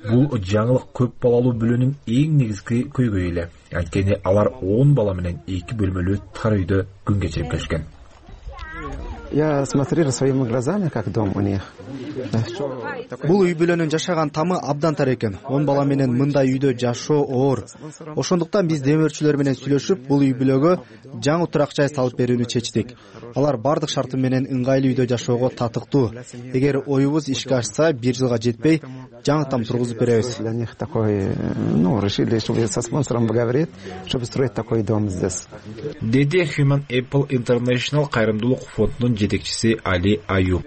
Бул жаңылык көп балалуу бүлөнүн эң негизги көйгөйү эле. Анткени алар он бала менен эки бөлмөлүү тар үйдө күн кечирип келишкен. Я смотрел своими глазами, как дом у них. Бул үй бүлөнүн жашаган тамы абдан тар экен. он бала менен мындай үйдө жашоо оор. Ошондуктан биз демөөрчүлөр менен сүйлөшүп, бул үй бүлөгө жаңы турак жай салып берүүнү чечтик. Алар бардык шарты менен ыңгайлуу үйдө жашоого татыктуу. Эгер оюбуз ишке ашса, бир жылга жетпей, жаңытан тургузуп беребиз. Для них такой, ну, решили, чтобы со спонсором поговорить, чтобы строить такой дом здесь. Деди Human Apple International кайрымдуулук фондунун жетекчиси Али Аюб.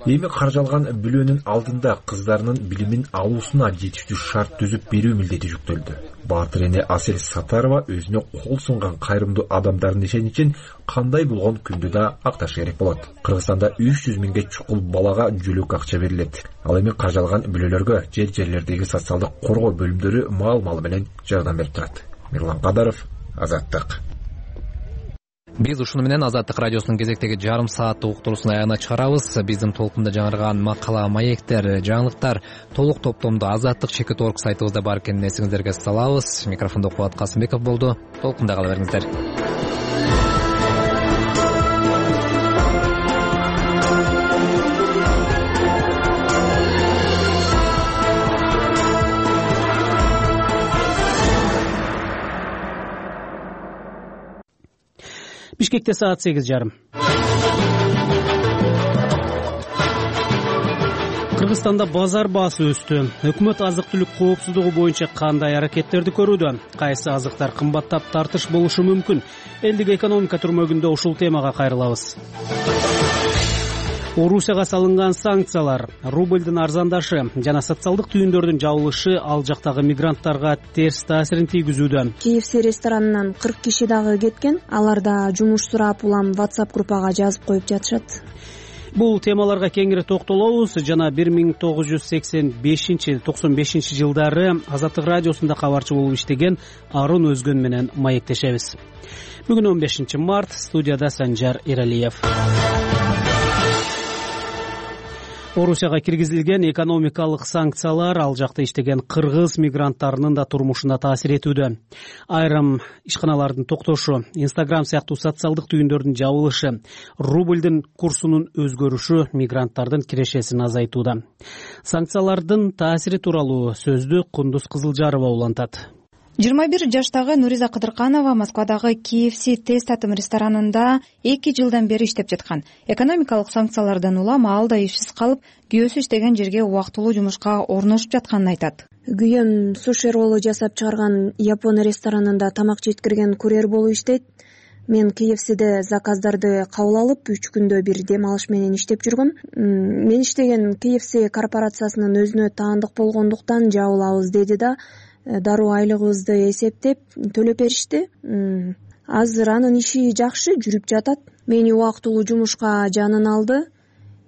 Эми каржалган бүлөнүн алдында кыздарынын билимин алуусуна жетиштүү шарт түзүп берүү милдети жүктөлдү. баатыр эне Асель Сатарова өзүнө кол сунган кайрымдуу адамдардын ишеничин кандай болгон күндү да акташ керек болот. Кыргызстанда үч жүз миңге чукул балага жүлүк акча берилет. Ал эми каржалган бүлөлөргө жер жерлердеги социалдык коргоо бөлүмдөрү маал-мал менен жардам берип турат. Мирлан Кадаров, Азаттык. Биз ушуну менен Азаттык радиосунун кезектеги жарым сааттык уктуруусун аягына чыгарабыз. Биздин толкунда жаңырган макала, маектер, жаңылыктар толук топтомдо Азаттык чекит точка орг сайтыбызда бар экенин эсиңиздерге салабыз. Микрофондо Кубат Касымбеков болду. Толкунда кала бериңиздер. Бишкекте саат сегиз жарым. Кыргызстанда базар баасы өстү. Өкмөт азык-түлүк коопсуздугу боюнча кандай аракеттерди көрүүдө? Кайсы азыктар кымбаттап тартыш болушу мүмкүн? Элдик экономика түрмөгүндө ушул темага кайрылабыз. Орусияга салынган санкциялар, рубльдин арзандашы жана социалдык түйүндөрдүн жабылышы ал жактагы мигранттарга терс таасирин тийгизүүдө. КФС ресторанынан кырк киши дагы кеткен. Алар да жумуш сурап улам WhatsApp группага жазып коюп жатышат. Бул темаларга кеңири токтолобуз жана бир миң тогуз жүз сексен бешинчи токсон бешинчи жылдары Азаттык радиосунда кабарчы болуп иштеген Арун Өзгөн менен маектешебиз. Бүгүн он бешинчи март, студияда Санжар Иралиев. Орусияга киргизилген экономикалык санкциялар ал жакта иштеген кыргыз мигранттарынын да турмушуна таасир этүүдө. Айрым ишканалардын токтошу, Instagram сыяктуу социалдык түйүндөрдүн жабылышы, рубльдин курсунун өзгөрүшү мигранттардын кирешесин азайтууда. Санкциялардын таасири тууралуу сөздү Кундуз Кызылжарова улантат. жыйырма бир жаштагы Нуриза Кыдырканова Москвадагы КФС тест татым ресторанында эки жылдан бери иштеп жаткан. Экономикалык санкциялардан улам ал да ишсиз калып, күйөөсү иштеген жерге убактылуу жумушка орношуп жатканын айтат. Күйөөм суши роллу жасап чыгарган Япон ресторанында тамак жеткирген курьер болуп иштейт. Мен КФСде заказдарды кабыл алып, үч күндө бир дем алыш менен иштеп жүргөм. Мен иштеген КФС корпорациясынын өзүнө таандык болгондуктан жабылабыз деди да дароо айлыгыбызды эсептеп төлөп беришти. Азыр анын иши жакшы жүрүп жатат. Мени убактылуу жумушка жанын алды.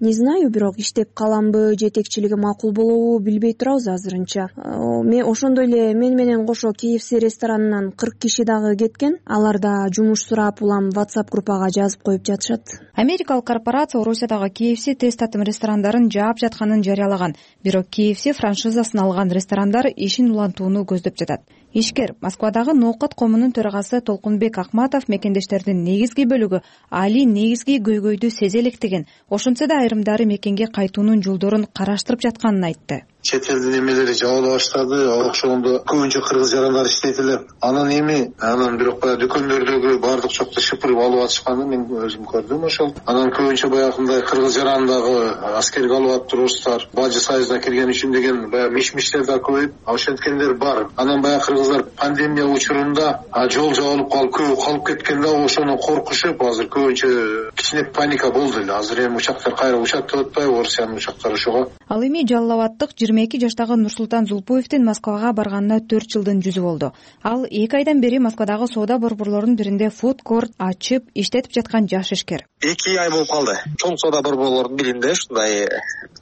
Не знаю, бирок иштеп каламбы, жетекчилиги макул болобу билбей турабыз азырынча. Мен ошондой эле мен менен кошо КФС ресторанынан кырк киши дагы кеткен. Алар да жумуш сурап улам WhatsApp группага жазып коюп жатышат. Америкалык корпорация Орусиядагы КФС тест татым ресторандарын жаап жатканын жарыялаган. Бирок КФС франшизасын алган ресторандар ишин улантууну көздөп жатат. Ишкер Москвадагы Ноокат комунун төрагасы Толкунбек Акматов мекендештердин негизги бөлүгү али негизги көйгөйдү сезе электеген. Ошентсе да айрымдары мекенге кайтуунун жолдорун караштырып жатканын айтты. Чет элдин эмелери жабыла баштады, ошондо көбүнчө кыргыз жарандар иштейт эле. Анан эми анан бирок баягы дүкөндөрдөгү баардык чокто шыпырып алып атышканын мен өзүм көрдүм ошол. Анан көбүнчө баягындай кыргыз жарандагы аскерге алып атып турушсуздар, бажы союзуна кирген үчүн деген баягы миш-миштер да көбөйүп, ошенткендер бар. Анан баягы кыргыздар пандемия учурунда жол жабылып калып, көбү калып кеткенде ошону коркушуп, азыр көбүнчө кичине паника болду эле. Азыр эми учактар кайра учаттап атпайбы, Орусиянын учактары ошого. Ал эми Жалал Абадтык жыйырма эки жаштагы Нурсултан Зулпуевдин Москвага барганына төрт жылдын жүзү болду. Ал эки айдан бери Москвадагы соода борборлорунун биринде фуд-корт ачып иштетип жаткан жаш ишкер. эки ай болуп калды. Чоң соода борборлорунун биринде ушундай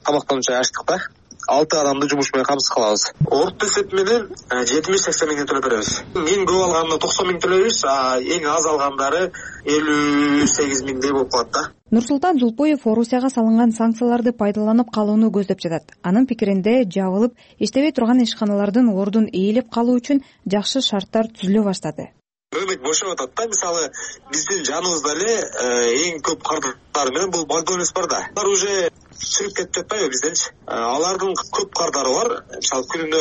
тамактануу жай ачтык да. алты адамды жумуш менен камсыз кылабыз. Орто эсеп менен жетимиш сексен миң төлөп беребиз. Эң көп алганда токсон миң төлөйбүз, а эң аз алгандары элүү сегиз миңдей болуп калат да. Нурсултан Зулпуев Орусияга салынган санкцияларды пайдаланып калууну көздөп жатат. Анын пикиринде жабылып, иштебей турган ишканалардын ордун ээлеп калуу үчүн жакшы шарттар түзүлө баштады. Өмөк бошоп атат да. Мисалы, биздин жаныбызда эле эң көп кардар менен бул Макдональдс бар да. Алар уже чыгып кетип жатпайбы бизденчи? Алардын көп кардары бар. Мисалы, күнүнө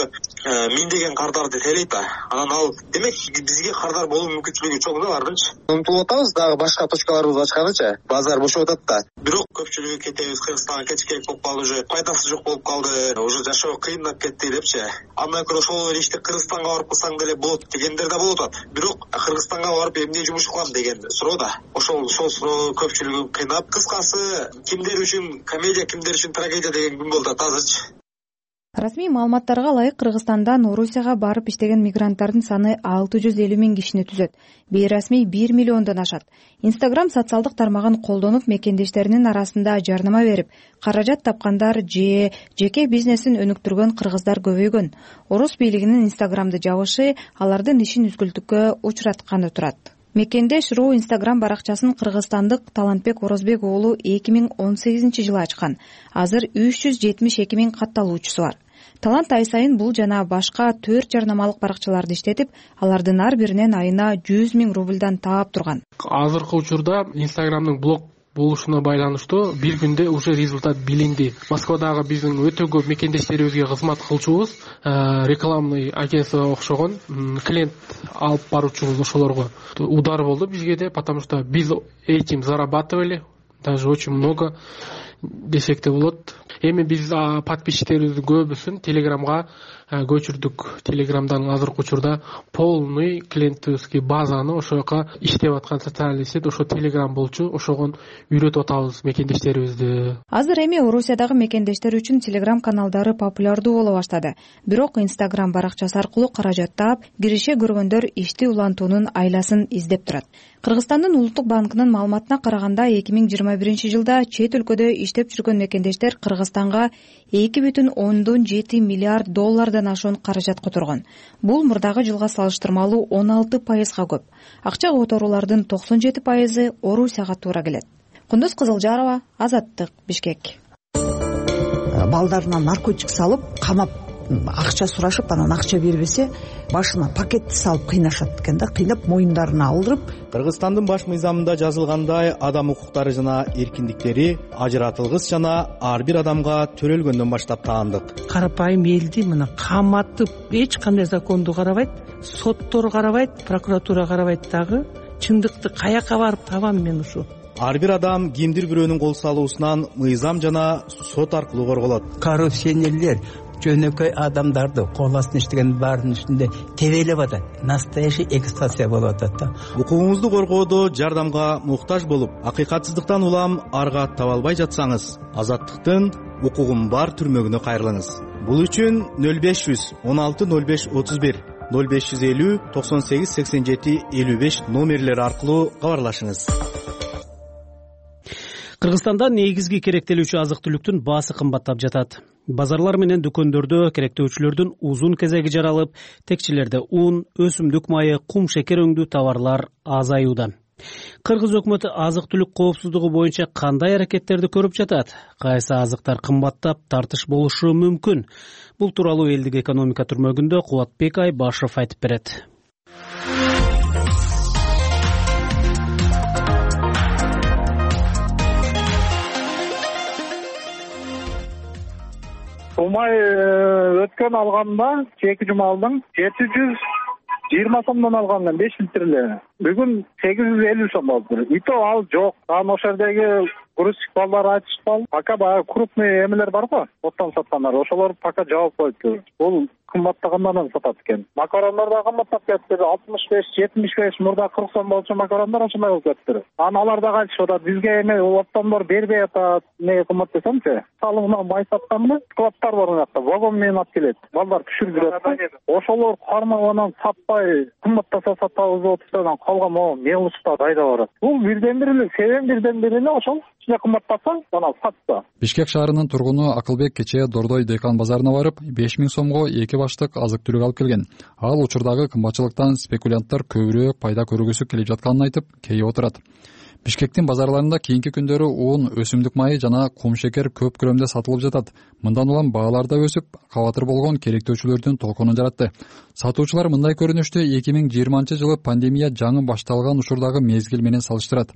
миңдеген кардарды тейлейт да. Анан ал демек бизге кардар болуу мүмкүнчүлүгү чоң да алардынчы. Умтулуп атабыз дагы башка точкаларыбызды ачканыча. Базар бошоп атат да. Бирок көпчүлүгү кетебиз, Кыргызстанга кетиш керек болуп калды, уже пайдасы жок болуп калды, уже жашоо кыйындап кетти депчи. Андан көрө ошол ишти Кыргызстанга барып кылсаң деле болот дегендер да болуп атат. Бирок Кыргызстанга барып эмне жумуш кылам деген суроо да. Ошол ошол суроо көпчүлүгүн кыйнап, кыскасы кимдер үчүн комедия, кимдер үчүн трагедия деген күн болуп атат азырчы. Расмий маалыматтарга ылайык Кыргызстандан Орусияга барып иштеген мигранттардын саны алты жүз элүү миң кишини түзөт. Бейрасмий бир миллиондон ашат. Instagram социалдык тармагын колдонуп мекендештеринин арасында жарнама берип, каражат тапкандар же жеке бизнесин өнүктүргөн кыргыздар көбөйгөн. Орус бийлигинин Instagramды жабышы алардын ишин үзгүлтүккө учуратканы турат. Мекендеш.ру Instagram баракчасын кыргызстандык Талантбек Орозбек уулу эки миң он сегизинчи жылы ачкан. Азыр үч жүз жетимиш эки миң катталуучусу бар. Талант ай сайын бул жана башка төрт жарнамалык баракчаларды иштетип, алардын ар биринен айына жүз миң рубльдан таап турган. Азыркы учурда Instagramдын блог болушуна байланыштуу бир күндө уже результат билинди. Москвадагы биздин өтө көп мекендештерибизге кызмат кылчубуз рекламный агентство окшогон клиент алып баруучубуз ошолорго удар болду бизге де, потому что биз этим зарабатывали, даже очень много десек де болот. Эми биз подписчиктерибиздин көбүсүн Телеграмга көчүрдүк. Телеграмдан азыркы учурда полный клиентский базаны ошол жака иштеп аткан социальный сеть ошо Телеграм болчу. Ошого үйрөтүп атабыз мекендештерибизди. Азыр эми Орусиядагы мекендештер үчүн Телеграм каналдары популярдуу боло баштады. Бирок Instagram баракчасы аркылуу каражат таап, киреше көргөндөр ишти улантуунун айласын издеп турат. Кыргызстандын улуттук банкынын маалыматына караганда эки миң жыйырма биринчи жылда чет өлкөдө иштеп жүргөн мекендештер Кыргызстанга эки бүтүн ондон жети миллиард доллардан ашуун каражат которгон. Бул мурдагы жылга салыштырмалуу он алты пайызга көп. Акча которуулардын токсон жети пайызы Орусияга туура келет. Кундуз Кызылжарова, Азаттык, Бишкек. Балдарына наркотик салып, камап акча сурашып, анан акча бербесе, башына пакетти салып кыйнашат экен да, кыйнап моюндарына алдырып. Кыргызстандын баш мыйзамында жазылгандай, адам укуктары жана эркиндиктери ажыратылгыс жана ар бир адамга төрөлгөндөн баштап таандык. Карапайым элди мына каматып, эч кандай законду карабайт, соттор карабайт, прокуратура карабайт дагы. Чындыкты каяка барып табам мен ушу? Ар бир адам кимдир бирөөнүн кол салуусунан мыйзам жана сот аркылуу корголот. Коррупционерлер жөнөкөй адамдарды кол астына иштеген баарынын үстүндө тебелеп атат. Настоящий эксплуатация болуп атат да. Укугуңузду коргоодо жардамга муктаж болуп, акыйкатсыздыктан улам арга таба албай жатсаңыз, Азаттыктын укугум бар түрмөгүнө кайрылыңыз. Бул үчүн нөл беш жүз он алты нөл беш отуз бир, нөл беш жүз элүү токсон сегиз сексен жети элүү беш номерлери аркылуу кабарлашыңыз. Кыргызстанда негизги керектелүүчү азык-түлүктүн баасы кымбаттап жатат. Базарлар менен дүкөндөрдө керектөөчүлөрдүн узун кезеги жаралып, текчелерде ун, өсүмдүк майы, кум шекер өңдүү товарлар азаюуда. Кыргыз өкмөтү азык-түлүк коопсуздугу боюнча кандай аракеттерди көрүп жатат? Кайсы азыктар кымбаттап, тартыш болушу мүмкүн? Бул тууралуу элдик экономика түрмөгүндө Кубатбек Айбашев айтып берет. Умай өткөн алганда эки жума алдым жети жүз жыйырма сомдон алгам беш литрле. Бүгүн сегиз жүз элүү сом болду. И то ал жок. Анан ошол жердеги грузчик балдар айтышпал. Пока баягы крупный эмелер бар го, оттон саткандар. Ошолор пока жабып коюпту. Бул кымбаттагандан сатат экен. Макарондар да кымбаттап кетти. алтымыш беш жетимиш беш мурда кырк сом болчу макарондар ошондой болуп кетти. Анан алар да айтышып атат, бизге эме оптондор бербей атат. Эмне кымбат десемчи, салыгынан бай сатканмы? Складтар бар мынакта, вагон менен алып келет. Балдар түшүрүп. Ошолор кармап анан сатпай кымбаттаса сатабыз деп отурса, калган могу мелочта дайда барат. Бул бирден бир эле, себеп бирден бир эле ошол. Ичине кымбаттаса, анан сатса. Бишкек шаарынын тургуну Акылбек кечээ Дордой Декан базарына барып, беш миң сомго эки баштык азык-түлүк алып келген. Ал учурдагы кымбатчылыктан спекулянттар көбүрөөк пайда көргүсү келип жатканын айтып, кейип отурат. Бишкектин базарларында кийинки күндөрү ун, өсүмдүк майы жана кум шекер көп көлөмдө сатылып жатат. Мындан улам баалар да өсүп, кабатыр болгон керектөөчүлөрдүн толкунун жаратты. Сатуучулар мындай көрүнүштү эки миң жыйырманчы жылы пандемия жаңы башталган учурдагы мезгил менен салыштырат.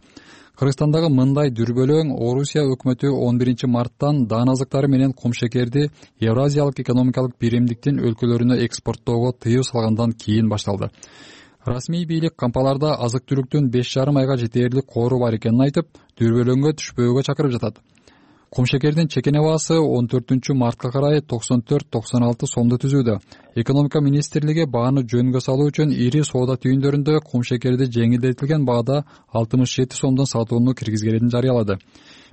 Кыргызстандагы мындай дүрбөлөң Орусия өкмөтү он биринчи марттан даан азыктары менен кум шекерди Евразиялык экономикалык биримдиктин өлкөлөрүнө экспорттоого тыюу салгандан кийин башталды. Расмий бийлик кампаларда азык-түлүктүн беш жарым айга жетээрлик коору бар экенин айтып, дүрбөлөңгө түшпөөгө чакырып жатат. Кум шекердин чекене баасы он төртүнчү мартка карай токсон төрт токсон алты сомду түзүүдө. Экономика министрлиги бааны жөнгө салуу үчүн ири соода түйүндөрүндө кум шекерди жеңилдетилген баада алтымыш жети сомдон сатууну киргизгенин жарыялады.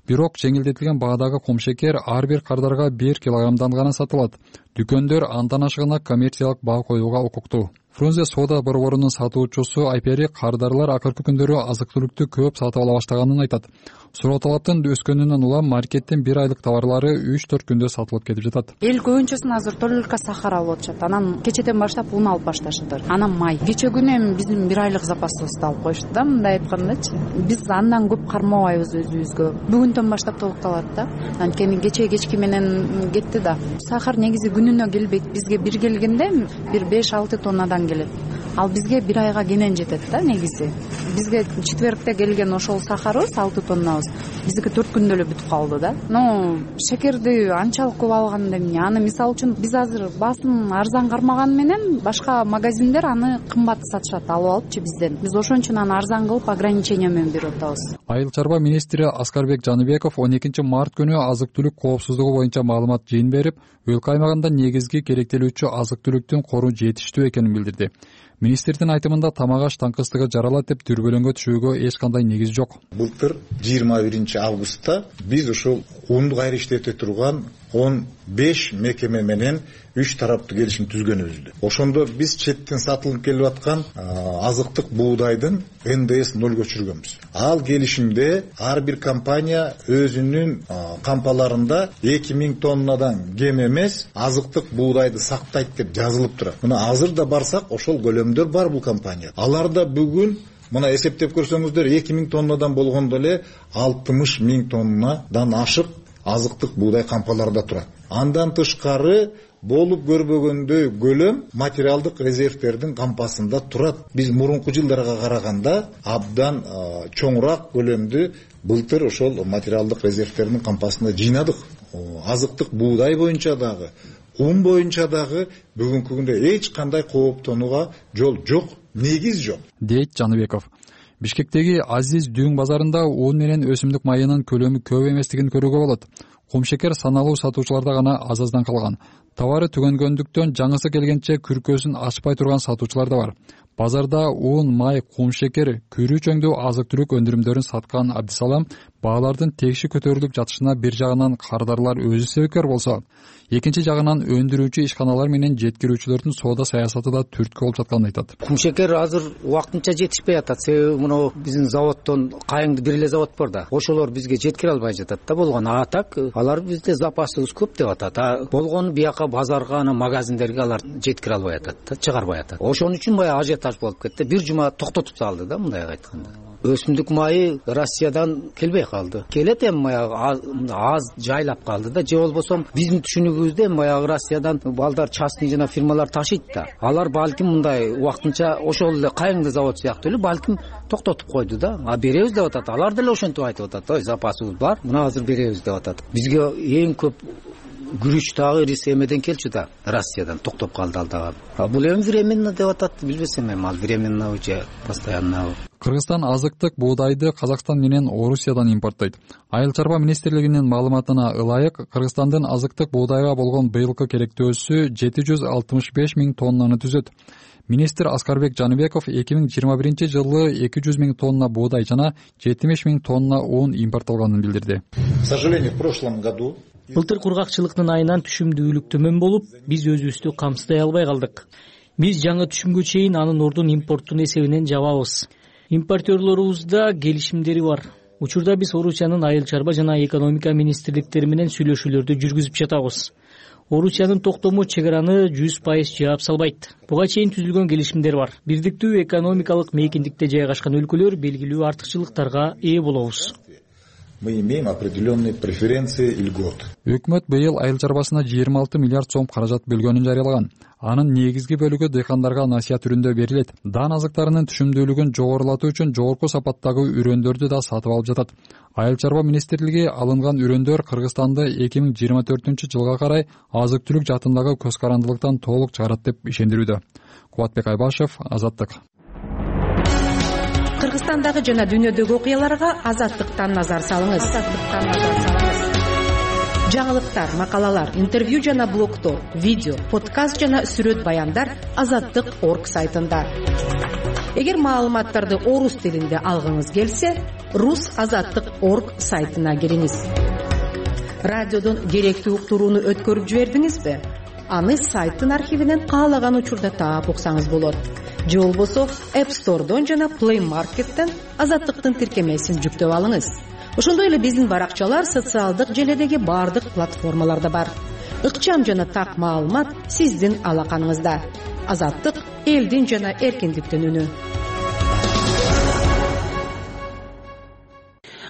бирок жеңилдетилген баадагы кумшекер ар бир кардарга бир килограммдан гана сатылат. Дүкөндөр андан ашыгына коммерциялык баа коюуга укуктуу. Фрунзе соода борборунун сатуучусу Айпери кардарлар акыркы күндөрү азык-түлүктү көп сатып ала баштаганын айтат. Суроо талаптын өскөнүнөн улам маркеттин бир айлык товарлары үч төрт күндө сатылып кетип жатат. Эл көбүнчөсүн азыр только сахар алып атышат. Анан кечеден баштап ун алып башташты. Анан май. Кече күнү эми биздин бир айлык запасыбызды алып коюшту да, мындай айткандачы. Биз андан көп кармабайбыз өзүбүзгө. Бүгүндөн баштап толукталат да. Анткени кече кечки менен кетти да. Сахар негизи күнүнө келбейт. Бизге бир келгенде бир беш алты тоннадан келет. Ал бизге бир айга кенен жетет да негизи. Бизге четвергте келген ошол сахарыбыз алты тоннабыз. Биздики төрт күндө эле бүтүп калды да. Ну, шекерди анчалык көп алганда эмне? Аны мисалы үчүн биз азыр баасын арзан кармаганы менен башка магазиндер аны кымбат сатышат, алып алыпчы бизден. Биз ошон үчүн аны арзан кылып ограничение менен берип атабыз. Айыл чарба министри Аскарбек Жаныбеков он экинчи март күнү азык-түлүк коопсуздугу боюнча маалымат жыйын берип, өлкө аймагында негизги керектелүүчү азык-түлүктүн кору жетиштүү экенин билдирди. Министрдин айтымында тамак-аш таңкыстыгы жаралат деп дүрбөлөңгө түшүүгө эч кандай негиз жок. Былтыр жыйырма биринчи августта биз ушул унду кайра иштете турган он беш мекеме менен үч тараптуу келишим түзгөнүбүздү. Ошондо биз четтен сатылып келип аткан азыктык буудайдын эн дэ эс нолго өчүргөнбүз. Ал келишимде ар бир компания өзүнүн кампаларында эки миң тоннадан кем эмес азыктык буудайды сактайт деп жазылып турат. Мына азыр да барсак ошол көлөмдөр бар бул компания. Аларда бүгүн мына эсептеп көрсөңүздөр эки миң тоннадан болгондо эле алтымыш миң тоннадан ашык азыктык буудай кампаларда турат. Андан тышкары болуп көрбөгөндөй көлөм материалдык резервтердин кампасында турат. Биз мурунку жылдарга караганда абдан чоңураак көлөмдү былтыр ошол материалдык резервтердин кампасында жыйнадык. Азыктык буудай боюнча дагы, ун боюнча дагы бүгүнкү күндө эч кандай кооптонууга жол жок, негиз жок, дейт Жаныбеков. Бишкектеги Азиз Дүүң базарында ун менен өсүмдүк майынын көлөмү көп эместигин көрүүгө болот. Кумшекер саналуу сатуучуларда гана аз-аздан калган. Товары түгөнгөндүктөн жаңысы келгенче күркөсүн ачпай турган сатуучулар да бар. Базарда ун, май, кумшекер, күрүү чөңдүү азык-түлүк өндүрүмдөрүн саткан Абдисалам баалардын текши көтөрүлүп жатышына бир жагынан кардарлар өзү себепкер болсо, экинчи жагынан өндүрүүчү ишканалар менен жеткирүүчүлөрдүн соода саясаты да түрткү болуп жатканын айтат. Кумшекер азыр убактынча жетишпей атат. Себеби мына биздин заводдон кайыңды бир эле завод бар да. Ошолор бизге жеткире албай жатат да болгон. А так алар бизде запасыбыз көп деп атат. А болгон бияка базарга, ана магазиндерге алар жеткире албай атат да, чыгарбай атат. Ошон үчүн баягы ажиотаж болуп кетти. Бир жума токтотуп салды да, мындай айтканда. Өсүмдүк майы Россиядан келбей калды. Келет эми баягы аз жайлап калды да, же болбосо биздин түшүнүгүбүздө баягы Россиядан балдар частный жана фирмалар ташыйт да. Алар балким мындай убактынча ошол эле кайыңды завод сыяктуу эле балким токтотуп койду да. А беребиз деп атат. Алар деле ошентип айтып атат. Ой, запасыбыз бар, мына азыр беребиз деп атат. Бизге эң көп күрүч дагы эмеден келчү да, Россиядан токтоп калды ал дагы. А бул эми временно деп атат, билбесем эми ал временно же постоянно. Кыргызстан азыктык буудайды Казакстан менен Орусиядан импорттойт. Айыл чарба министрлигинин маалыматына ылайык, Кыргызстандын азыктык буудайга болгон быйылкы керектөөсү жети жүз алтымыш беш миң тоннаны түзөт. Министр Аскарбек Жаныбеков эки миң жыйырма биринчи жылы эки жүз миң тонна буудай жана жетимиш миң тонна ун импорттолгонун билдирди. К сожалению, в прошлом году былтыр кургакчылыктын айынан түшүмдүүлүк төмөн болуп, биз өзүбүздү камсыздай албай калдык. Биз жаңы түшүмгө чейин анын ордун импорттун эсебинен жабабыз. Импортерлорубузда келишимдери бар. Учурда биз Орусиянын айыл чарба жана экономика министрликтери менен сүйлөшүүлөрдү жүргүзүп жатабыз. Орусиянын токтому чек араны жүз пайыз жаап салбайт. Буга чейин түзүлгөн келишимдер бар. Бирдиктүү экономикалык мейкиндикте жайгашкан өлкөлөр белгилүү артыкчылыктарга ээ болобуз. Мы имеем определенные преференции и льготы. Өкмөт быйыл айыл чарбасына жыйырма алты миллиард сом каражат бөлгөнүн жарыялаган. Анын негизги бөлүгү дыйкандарга насыят түрүндө берилет. Дан азыктарынын түшүмдүүлүгүн жогорулатуу үчүн жогорку сапаттагы үрөндөрдү да сатып алып жатат. Айыл чарба министрлиги алынган үрөндөр Кыргызстанды эки миң жыйырма төртүнчү жылга карай азык-түлүк жаатындагы көз карандылыктан толук чыгарат деп ишендирүүдө. Кубатбек Айбашев, Азаттык. Кыргызстандагы жана дүйнөдөгү окуяларга Азаттыктан назар салыңыз. Азаттыктан назар салыңыз. жаңылыктар, макалалар, интервью жана блогдор, видео, подкаст жана сүрөт баяндар азаттык точка орг сайтында. Эгер маалыматтарды орус тилинде алгыңыз келсе, рус азаттык точка орг сайтына кириңиз. Радиодон керектүү уктурууну өткөрүп жибердиңизби? Аны сайттын архивинен каалаган учурда таап уксаңыз болот. Же болбосо App Store'дон жана Play Market'тен азаттыктын тиркемесин жүктөп алыңыз. Ошондой эле биздин баракчалар социалдык желедеги бардык платформаларда бар. Ыкчам жана так маалымат сиздин алаканыңызда. Азаттык элдин жана эркиндиктин үнү.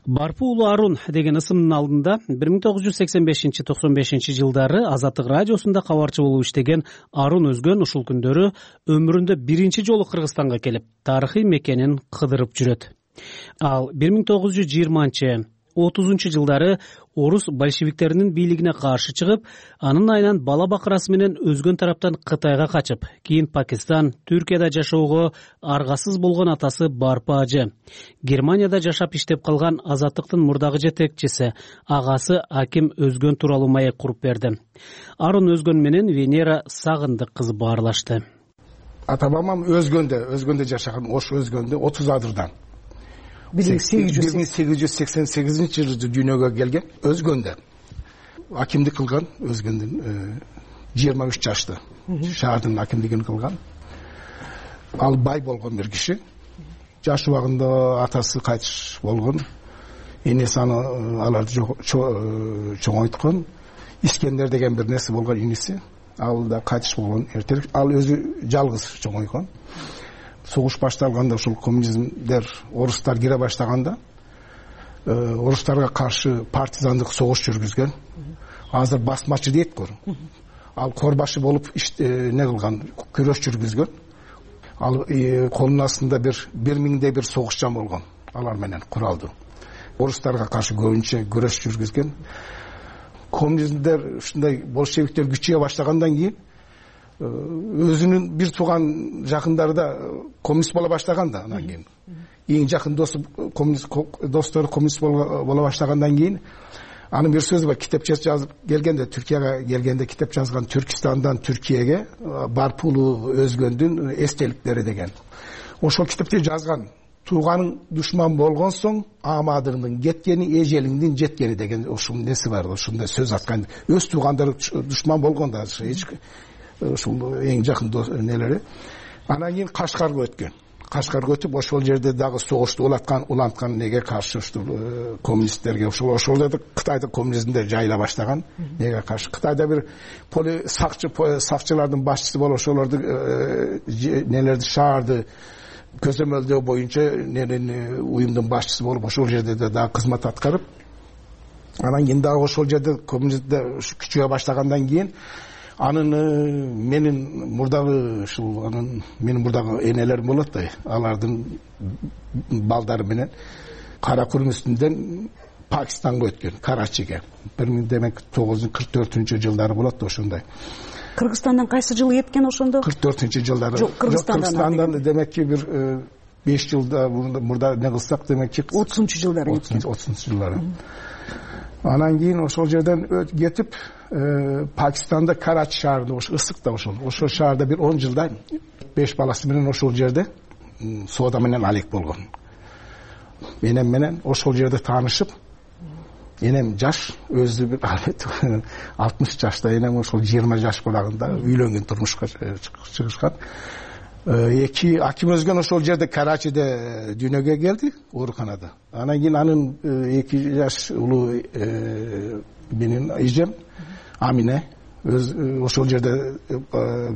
Барпу уулу Арун деген ысымдын алдында бир миң тогуз жүз сексен бешинчи токсон бешинчи жылдары Азаттык радиосунда кабарчы болуп иштеген Арун Өзгөн ушул күндөрү өмүрүндө биринчи жолу Кыргызстанга келип, тарыхый мекенин кыдырып жүрөт. Ал бир миң тогуз жүз жыйырманчы отузунчу жылдары орус большевиктеринин бийлигине каршы чыгып, анын айынан бала бакырасы менен Өзгөн тараптан Кытайга качып, кийин Пакистан, Түркияда жашоого аргасыз болгон атасы Барпы ажы, Германияда жашап иштеп калган Азаттыктын мурдагы жетекчиси, агасы Аким Өзгөн тууралуу маек куруп берди. Арун Өзгөн менен Венера Сагындык кызы баарлашты. Ата бабам Өзгөндө, Өзгөндө жашаган, Ош Өзгөндө отуз адырдан. бир миң сегиз жүз сексен сегизинчи жылы дүйнөгө келген, Өзгөндө. Акимдик кылган, Өзгөндүн жыйырма үч жашты. Шаардын акимдигин кылган. Ал бай болгон бир киши. Жаш убагында атасы кайтыш болгон. Энеси аны аларды чоңойткон. Искендер деген бир нерсе болгон иниси. Ал да кайтыш болгон эртерээк. Ал өзү жалгыз чоңойгон. Согуш башталганда, ушул коммунизмдер, орустар кире баштаганда, орустарга каршы партизандык согуш жүргүзгөн. Азыр басмачы дейт го. Ал корбашы болуп не кылган, күрөш жүргүзгөн. Ал колунун астында бир бир миңдей бир согушчан болгон. Алар менен куралдуу. Орустарга каршы көбүнчө күрөш жүргүзгөн. Коммунизмдер ушундай большевиктер күчөйө баштагандан кийин өзүнүн бир тууган жакындары да коммунист боло баштаган да, анан кийин эң жакын досу коммунист достору коммунист боло баштагандан кийин анын бир сөзү бар, китепчеси жазып келгенде, Түркияга келгенде китеп жазган, Түркистандан Түркияга Барпы уулу Өзгөндүн эстеликтери деген. Ошол китепти жазган. Тууганың душман болгон соң амадыңдын кеткени, эжелиңдин жеткени деген ушул неси бар, ушундай сөз аткан. Өз туугандары душман болгон да, эч ушул эң жакын нелери. Анан кийин Кашкарга өткөн. Кашкарга өтүп, ошол жерде дагы согушту улаткан, уланткан неге каршы ушул коммунисттерге, ошол ошол жерде Кытайда коммунизмдер жайыла баштаган. Неге каршы? Кытайда бир поли сакчы сакчылардын башчысы болуп, ошолорду нелерди шаарды көзөмөлдөө боюнча нерени уюмдун башчысы болуп, ошол жерде дагы кызмат аткарып, анан кийин дагы ошол жерде коммунизмдер күчөйө баштагандан кийин анын менин мурдагы ушул анын менин мурдагы энелерим болот да, алардын балдары менен кара курум үстүндөн Пакистанга өткөн, Карачиге. бир миң тогуз жүз кырк төртүнчү жылдары болот да, ошондой. Кыргызстандан кайсы жылы кеткен ошондо? кырк төртүнчү жылдары. Жок, Кыргызстандан демекки бир беш жылда мурда не кылсак, демекки отузунчу жылдары кеткен. отузунчу жылдары. Анан кийин ошол жерден кетип, Пакистанда Карачи шаарында, ошо ысык да ошол. Ошол шаарда бир он жылда беш баласы менен ошол жерде соода менен алек болгон. Энем менен ошол жерде таанышып, энем жаш, өзү бир алтымыш жашта, энем ошол жыйырма жаш болагында үйлөнгөн, турмушка чыгышкан. Эки Аким Өзгөн ошол жерде Карачиде дүйнөгө келди, ооруканада. Анан кийин анын эки жаш улуу менин эжем Амине өз ошол жерде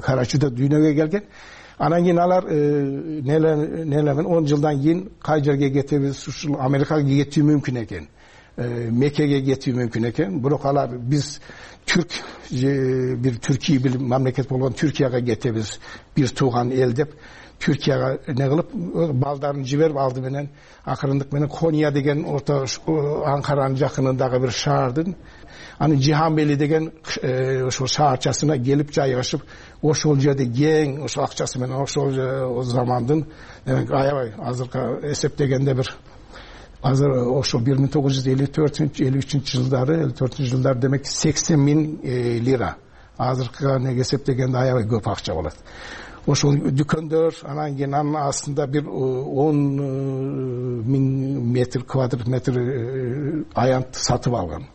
Карачиде дүйнөгө келген. Анан кийин алар нелемен он жылдан кийин кай жерге кетебиз, ушул Америкага кетүү мүмкүн экен, Меккеге кетүү мүмкүн экен. Бирок алар биз түрк бир Түркия бир мамлекет болгон Түркияга кетебиз, бир тууган эл деп Түркияга не кылып балдарын жиберип, алды менен акырындык менен Кония деген орто Анкаранын жакынындагы бир шаардын, анын Жиханбели деген ошол шаарчасына келип жайгашып, ошол жерде кең ошол акчасы менен ошол замандын, демек аябай азыркы эсептегенде бир азыр ошо бир миң тогуз жүз элүү төртүнчү элүү үчүнчү жылдары элүү төртүнчү жылдары демек сексен миң лира. Азыркыга неге эсептегенде аябай көп акча болот. Ошол дүкөндөр анан кийин анын астында бир он миң метр квадрат метр аянт сатып алган.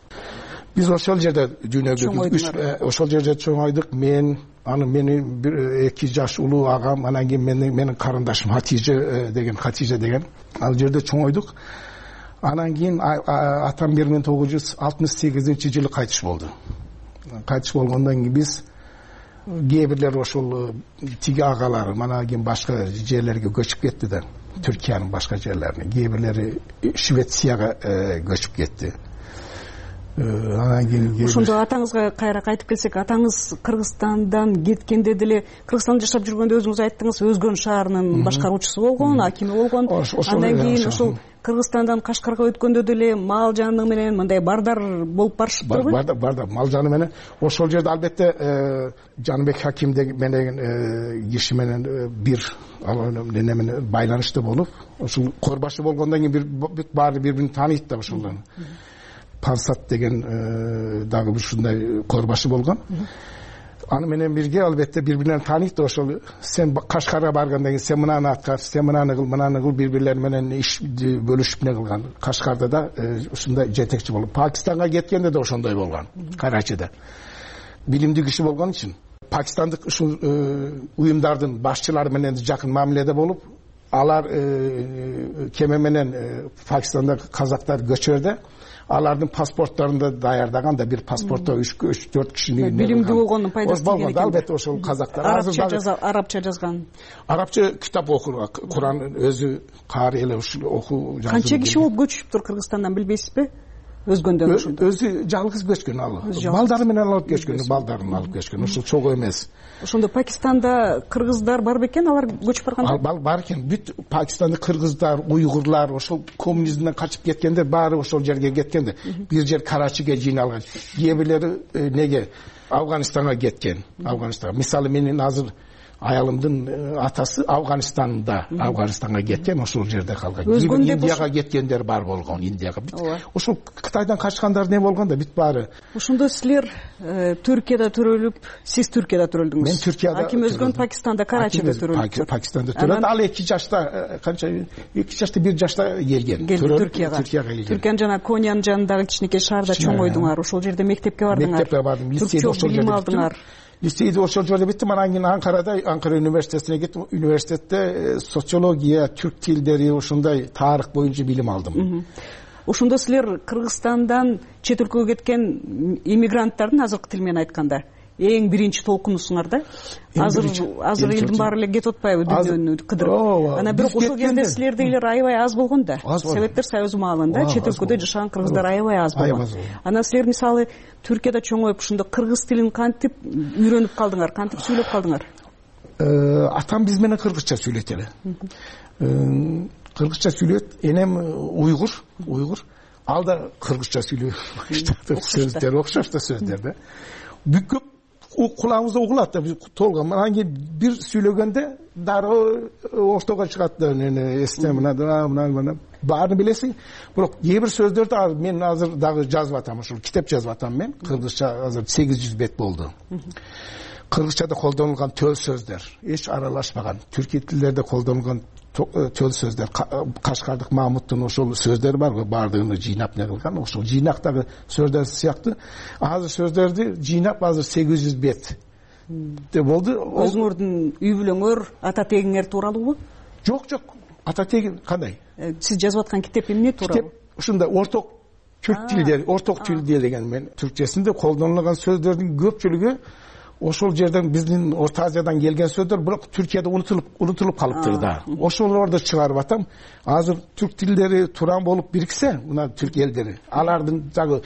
Биз ошол жерде дүйнөгө ошол жерде чоңойдук. Мен аны мени бир эки жаш улуу агам, анан кийин менин менин карындашым Хатиже деген Хатиже деген ал жерде чоңойдук. Анан кийин атам бир миң тогуз жүз алтымыш сегизинчи жылы кайтыш болду. Кайтыш болгондон кийин биз кээ бирлер ошол тиги агалары мана кийин башка жерлерге көчүп кетти да, Түркиянын башка жерлерине. Кээ бирлери Швецияга көчүп кетти. Анан кийин ошондо атаңызга кайра кайтып келсек, атаңыз Кыргызстандан кеткенде деле Кыргызстанда жашап жүргөндө өзүңүз айттыңыз, Өзгөн шаарынын башкаруучусу болгон, акими болгон. Андан кийин ошол Кыргызстандан Кашкарга өткөндө деле мал жаны менен мындай бардар болуп барышыптырбы? Бардар, бардар, мал жаны менен. Ошол жерде албетте Жаныбек Хаким деген киши менен бир неме менен байланышта болуп, ошол корбашы болгондон кийин бир баары бири-бирин тааныйт да ошолдон. Пансат деген дагы ушундай корбашы болгон. Аны менен бирге албетте бири-бирин тааныйт. Ошол сен Кашкарга баргандан кийин сен мынаны аткар, сен мынаны кыл, мынаны кыл, бири-бирлери менен иш бөлүшүп не кылган. Кашкарда да ушундай жетекчи болуп, Пакистанга кеткенде да ошондой болгон. Карачыда билимдүү киши болгон үчүн пакистандык ушул уюмдардын башчылары менен жакын мамиледе болуп, алар кеме менен Пакистандагы казактар көчөрдө алардын паспорттарында даярдаган да бир паспортто үч төрт кишини билимдүү болгондун пайдасы тиген экен. Албетте ошол казактар арабча жазган. Арабча китап окур, Куран өзү каары эле ушул окуу жазуу. Канча киши болуп көчүптүр Кыргызстандан билбейсизби? Өзгөндөн ошондо. Өзү жалгыз көчкөн ал. Балдары менен алып көчкөн, балдарын алып көчкөн. Ушул чогуу эмес. Ошондо Пакистанда кыргыздар бар бекен, алар көчүп барганда? Ал бар экен. Бүт Пакистанда кыргыздар, уйгурлар, ошол коммунизмден качып кеткенде баары ошол жерге кеткенде. Бир жер Карачиге жыйналган. Кээ бирлери неге Афганистанга кеткен. Афганистанга. Мисалы менин азыр аялымдын атасы Афганистанда, Афганистанга кеткен, ошол жерде калган. Индияга кеткендер бар болгон, Индияга. Ошол Кытайдан качкандар не болгон да бүт баары. Ошондо силер Түркияда төрөлүп, сиз Түркияда төрөлдүңүз. Мен Түркияда. Аким Өзгөн Пакистанда, Карачида төрөлдү. Пакистанда төрөлдү. Ал эки жашта, канча эки жашта бир жашта келген. Түркияга. Түркиянын жана Конянын жанындагы кичинекей шаарда чоңойдуңар. Ошол жерде мектепке бардыңар. Мектепке бардым. Лицейде ошол жерде алдыңар. Лицейде ошол жерде биттим. Анан кийин Анкарада, Анкара университетине кеттим. Университетте социология, түрк тилдери, ошондой тарых боюнча билим алдым. Ошондо силер Кыргызстандан чет өлкөгө кеткен иммигранттардын азыркы тил менен айтканда эң биринчи толкунусуңар да. Азыр азыр элдин баары эле кетип атпайбы дүйнөнү кыдырып. Анан бирок ошол кезде силердегилер аябай аз болгон да. Советтер Союзу маалында чет өлкөдө жашаган кыргыздар аябай аз болгон. Анан силер мисалы Түркияда чоңоюп ошондо кыргыз тилин кантип үйрөнүп калдыңар, кантип сүйлөп калдыңар? Атам биз менен кыргызча сүйлөйт эле. Кыргызча сүйлөйт. Энем уйгур, уйгур. Ал да кыргызча сүйлөйт. Сөздөр окшош да сөздөр да. Бүкөп кулагыбызда угулат да, толгон. Анан кийин бир сүйлөгөндө дароо ортого чыгат да, эсте мына мына мына баарын билесиң. Бирок кээ бир сөздөрдү мен азыр дагы жазып атам, ошол китеп жазып атам мен. Кыргызча азыр сегиз жүз бет болду. Кыргызчада колдонулган төл сөздөр эч аралашпаган. Түркия тилдерде колдонулган төл сөздөр, Кашкардык Мамуттун ошол сөздөрү бар го, баардыгын жыйнап не кылган. Ошол жыйнактагы сөздөр сыяктуу азыр сөздөрдү жыйнап азыр сегиз жүз бет болду. Өзүңөрдүн үй бүлөңөр, ата тегиңер тууралуубу? Жок, жок. Ата теги кандай? Сиз жазып аткан китеп эмне тууралуу? Китеп ушундай орток түрк тилдери, орток тил деген мен түркчесинде колдонулган сөздөрдүн көпчүлүгү ошол жерден биздин Орто Азиядан келген сөздөр, бирок Түркияда унутулуп унутулуп калыптыр да. Ошолорду чыгарып атам. Азыр түрк тилдери туран болуп бириксе, мына түрк элдери, алардын дагы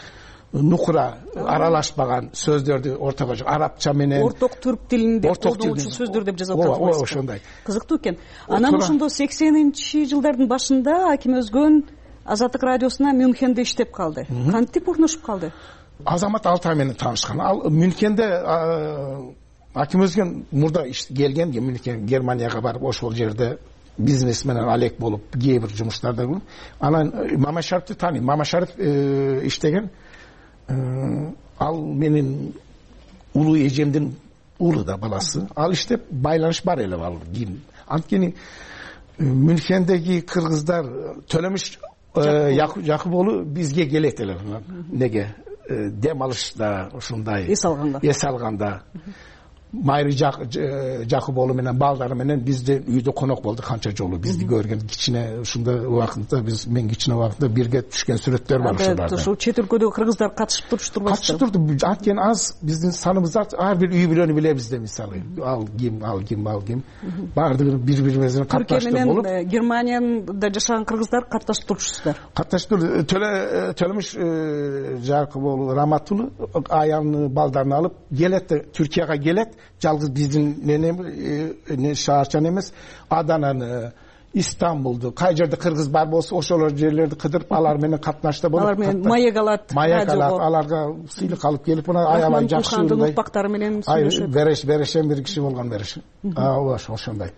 нукура аралашпаган сөздөрдү ортого арабча менен орток түрк тилинде колдонуучу сөздөр деп жазып атат. Ооба, ошондой. Кызыктуу экен. Анан ошондо сексенинчи жылдардын башында Аким Өзгөн Азаттык радиосуна Мюнхенде иштеп калды. Кантип урнушуп калды? Азамат Алтай менен таанышкан. Ал Мюнхенде Аким Өзгөн мурда келген, Мюнхен Германияга барып ошол жерде бизнес менен алек болуп кээ бир жумуштарда анан Мамашариповду тааныйм. Мамашарипов иштеген, ал менин улуу эжемдин уулу да, баласы. Ал иштеп байланыш бар эле ал кийин. Анткени Мюнхендеги кыргыздар Төлөмүш Жакып уулу бизге келет эле. Неге? Дем алышта, ушундай эс алганда. Эс алганда. Майры Жакып уулу менен балдары менен бизде үйдө конок болду канча жолу. Бизди көргөн кичине ушундай убакытта биз мен кичине убакытта бирге түшкөн сүрөттөр бар ушуларда. Ушул чет өлкөдөгү кыргыздар катышып турушпайбы? Катышып турду. Анткени аз биздин саныбыз ар бир үй бүлөнү билебиз да, мисалы. Ал ким, ал ким, ал ким. Баардыгы бири-бири катташып болуп. Түркия менен Германияда жашаган кыргыздар катташып турушсуздар. Катташып турду. Төлөмүш Жакып уулу Раматулу аялын балдарын алып келет, Түркияга келет. Жалгыз биздин менен шаарчан эмес, Адананы, Истамбулду, кай жерде кыргыз бар болсо ошолор жерлерди кыдырып, алар менен катнашта болуп, алар менен маек алат, маек алат, аларга сыйлык алып келип, мына аябай жакшы укпактары менен сүйлөшөт. Береш, берешен бир киши болгон береш. Ооба, ошондой.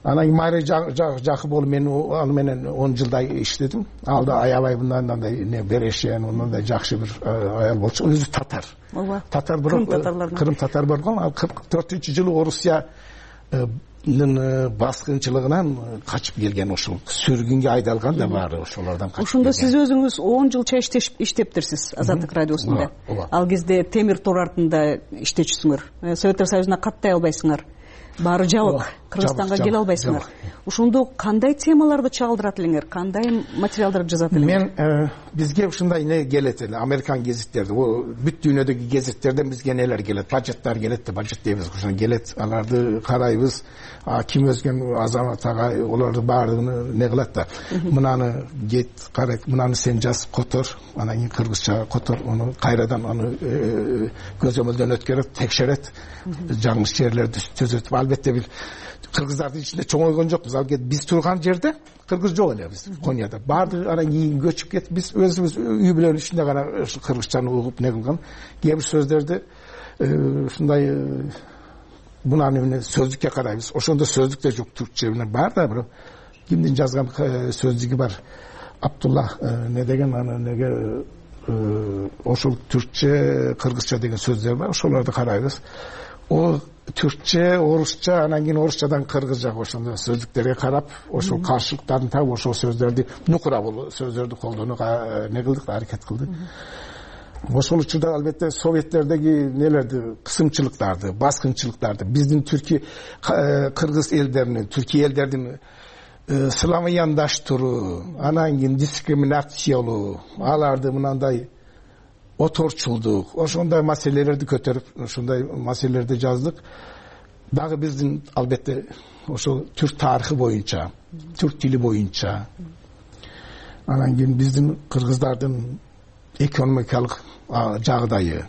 Анан Майры Жакып уулу мен аны менен он жылдай иштедим. Ал да аябай мындай не берешен, мындай жакшы бир аял болчу. Өзү татар. Ооба. Татар бирок Кырым татар болгон. Ал кырк төртүнчү жылы Орусиянын баскынчылыгынан качып келген, ошол сүргүнгө айдалган да баары ошолордон качып. Ошондо сиз өзүңүз он жылча иштептирсиз Азаттык радиосунда. Ал кезде темир тор артында иштечүсүңөр. Советтер Союзуна каттай албайсыңар. Баары жабык. Кыргызстанга келе албайсыңар. Ошондо кандай темаларды чагылдырат элеңер? Кандай материалдарды жазат элеңер? Мен бизге ушундай не келет эле, Американ гезиттерди, бүт дүйнөдөгү гезиттерден бизге нелер келет, бажеттар келет да, бажет дейбиз, ошону келет. Аларды карайбыз. Ким өзгөн азамат ага олорду баардыгын не кылат да. Мынаны кет, карайт, мынаны сен жаз, котор, анан кийин кыргызча котор, аны кайрадан аны көзөмөлдөн өткөрөт, текшерет, жаңылыш жерлерди түзөтүп. Албетте бир кыргыздардын ичинде чоңойгон жокпуз. Ал биз турган жерде кыргыз жок эле биз Конияда. Баардыгы анан кийин көчүп кетип, биз өзүбүз үй бүлөнүн ичинде гана кыргызчаны угуп не кылган. Кээ бир сөздөрдү ушундай мунаны сөздүккө карайбыз. Ошондо сөздүк да жок, түркчө менен бар да, бирок кимдин жазган сөздүгү бар. Абдулла не деген аны неге ошол түркчө, кыргызча деген сөздөр бар. Ошолорду карайбыз. О түркчө, орусча, анан кийин орусчадан кыргызчага ошондой сөздүктөргө карап, ошол каршылыктарын таап, ошол сөздөрдү нукура бул сөздөрдү колдонууга не кылдык, аракет кылдык. Ошол учурда албетте советтердеги нелерди, кысымчылыктарды, баскынчылыктарды биздин түрки кыргыз элдеринин, түрки элдердин славяндаштыруу, анан кийин дискриминациялоо, аларды мынандай оторчулдук, ошондой маселелерди көтөрүп, ошондой маселелерди жаздык. Дагы биздин албетте ошол түрк тарыхы боюнча, түрк тили боюнча, анан кийин биздин кыргыздардын экономикалык жагдайы,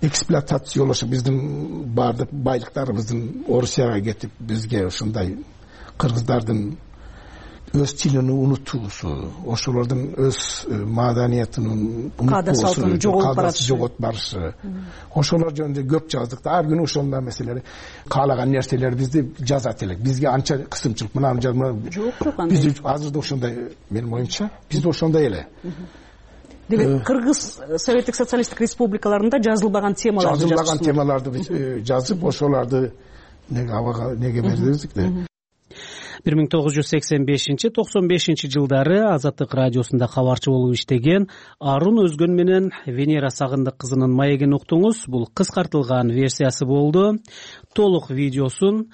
эксплуатациялошу, биздин баардык байлыктарыбыздын Орусияга кетип, бизге ошондой кыргыздардын өз тилин унутуусу, ошолордун өз маданиятынын каада-салтын жоготуп барышы, ошолор жөнүндө көп жаздык да. Ар күнү ошондой маселелер, каалаган нерселер бизди жазат элек. Бизге анча кысымчылык, мынаны жазма. Жок, жок анда. Биз азырда ошондой, менин оюмча, бизде ошондой эле. Демек, Кыргыз Советтик социалисттик республикаларында жазылбаган темаларды жазып, жазылбаган темаларды жазып, ошолорду неге абага неге бердик да. бир миң тогуз жүз сексен бешинчи токсон бешинчи жылдары Азаттык радиосунда кабарчы болуп иштеген Арун Өзгөн менен Венера Сагындык кызынын маегин уктуңуз. Бул кыскартылган версиясы болду. Толук видеосун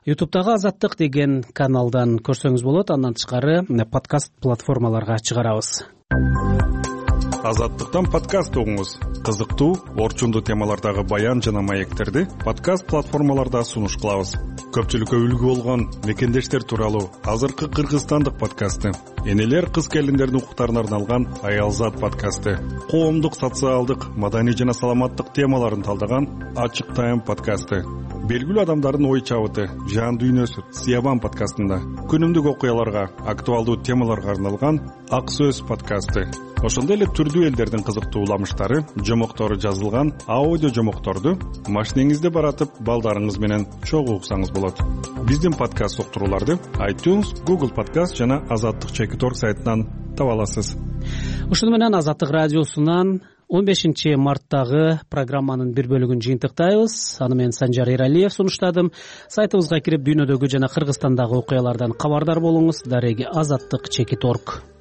ютубтагы Азаттык деген каналдан көрсөңүз болот. Андан тышкары подкаст платформаларга чыгарабыз. Азаттыктан подкаст угуңуз. Кызыктуу, орчундуу темалардагы баян жана маектерди подкаст платформаларда сунуш кылабыз. Көпчүлүккө үлгү болгон мекендештер тууралуу азыркы кыргызстандык подкасты, энелер кыз келиндердин укуктарына арналган Аялзат подкасты, коомдук, социалдык, маданий жана саламаттык темаларын талдаган Ачык Тайм подкасты, белгилүү адамдардын ой чабыты, жан дүйнөсү Сиябан подкастында күнүмдүк окуяларга, актуалдуу темаларга арналган Ак сөз подкасты. Ошондой эле түрдүү элдердин кызыктуу уламыштары, жомоктору жазылган аудио жомокторду машинеңизде баратып балдарыңыз менен чогуу уксаңыз болот. Биздин подкаст уктурууларды iTunes, Google Podcast жана Азаттык чекит точка орг сайтынан таба аласыз. Ушуну менен Азаттык радиосунан он бешинчи марттагы программанын бир бөлүгүн жыйынтыктайбыз. Аны мен Санжар Эралиев сунуштадым. Сайтыбызга кирип дүйнөдөгү жана Кыргызстандагы окуялардан кабардар болуңуз. Дареги Азаттык чекит точка орг.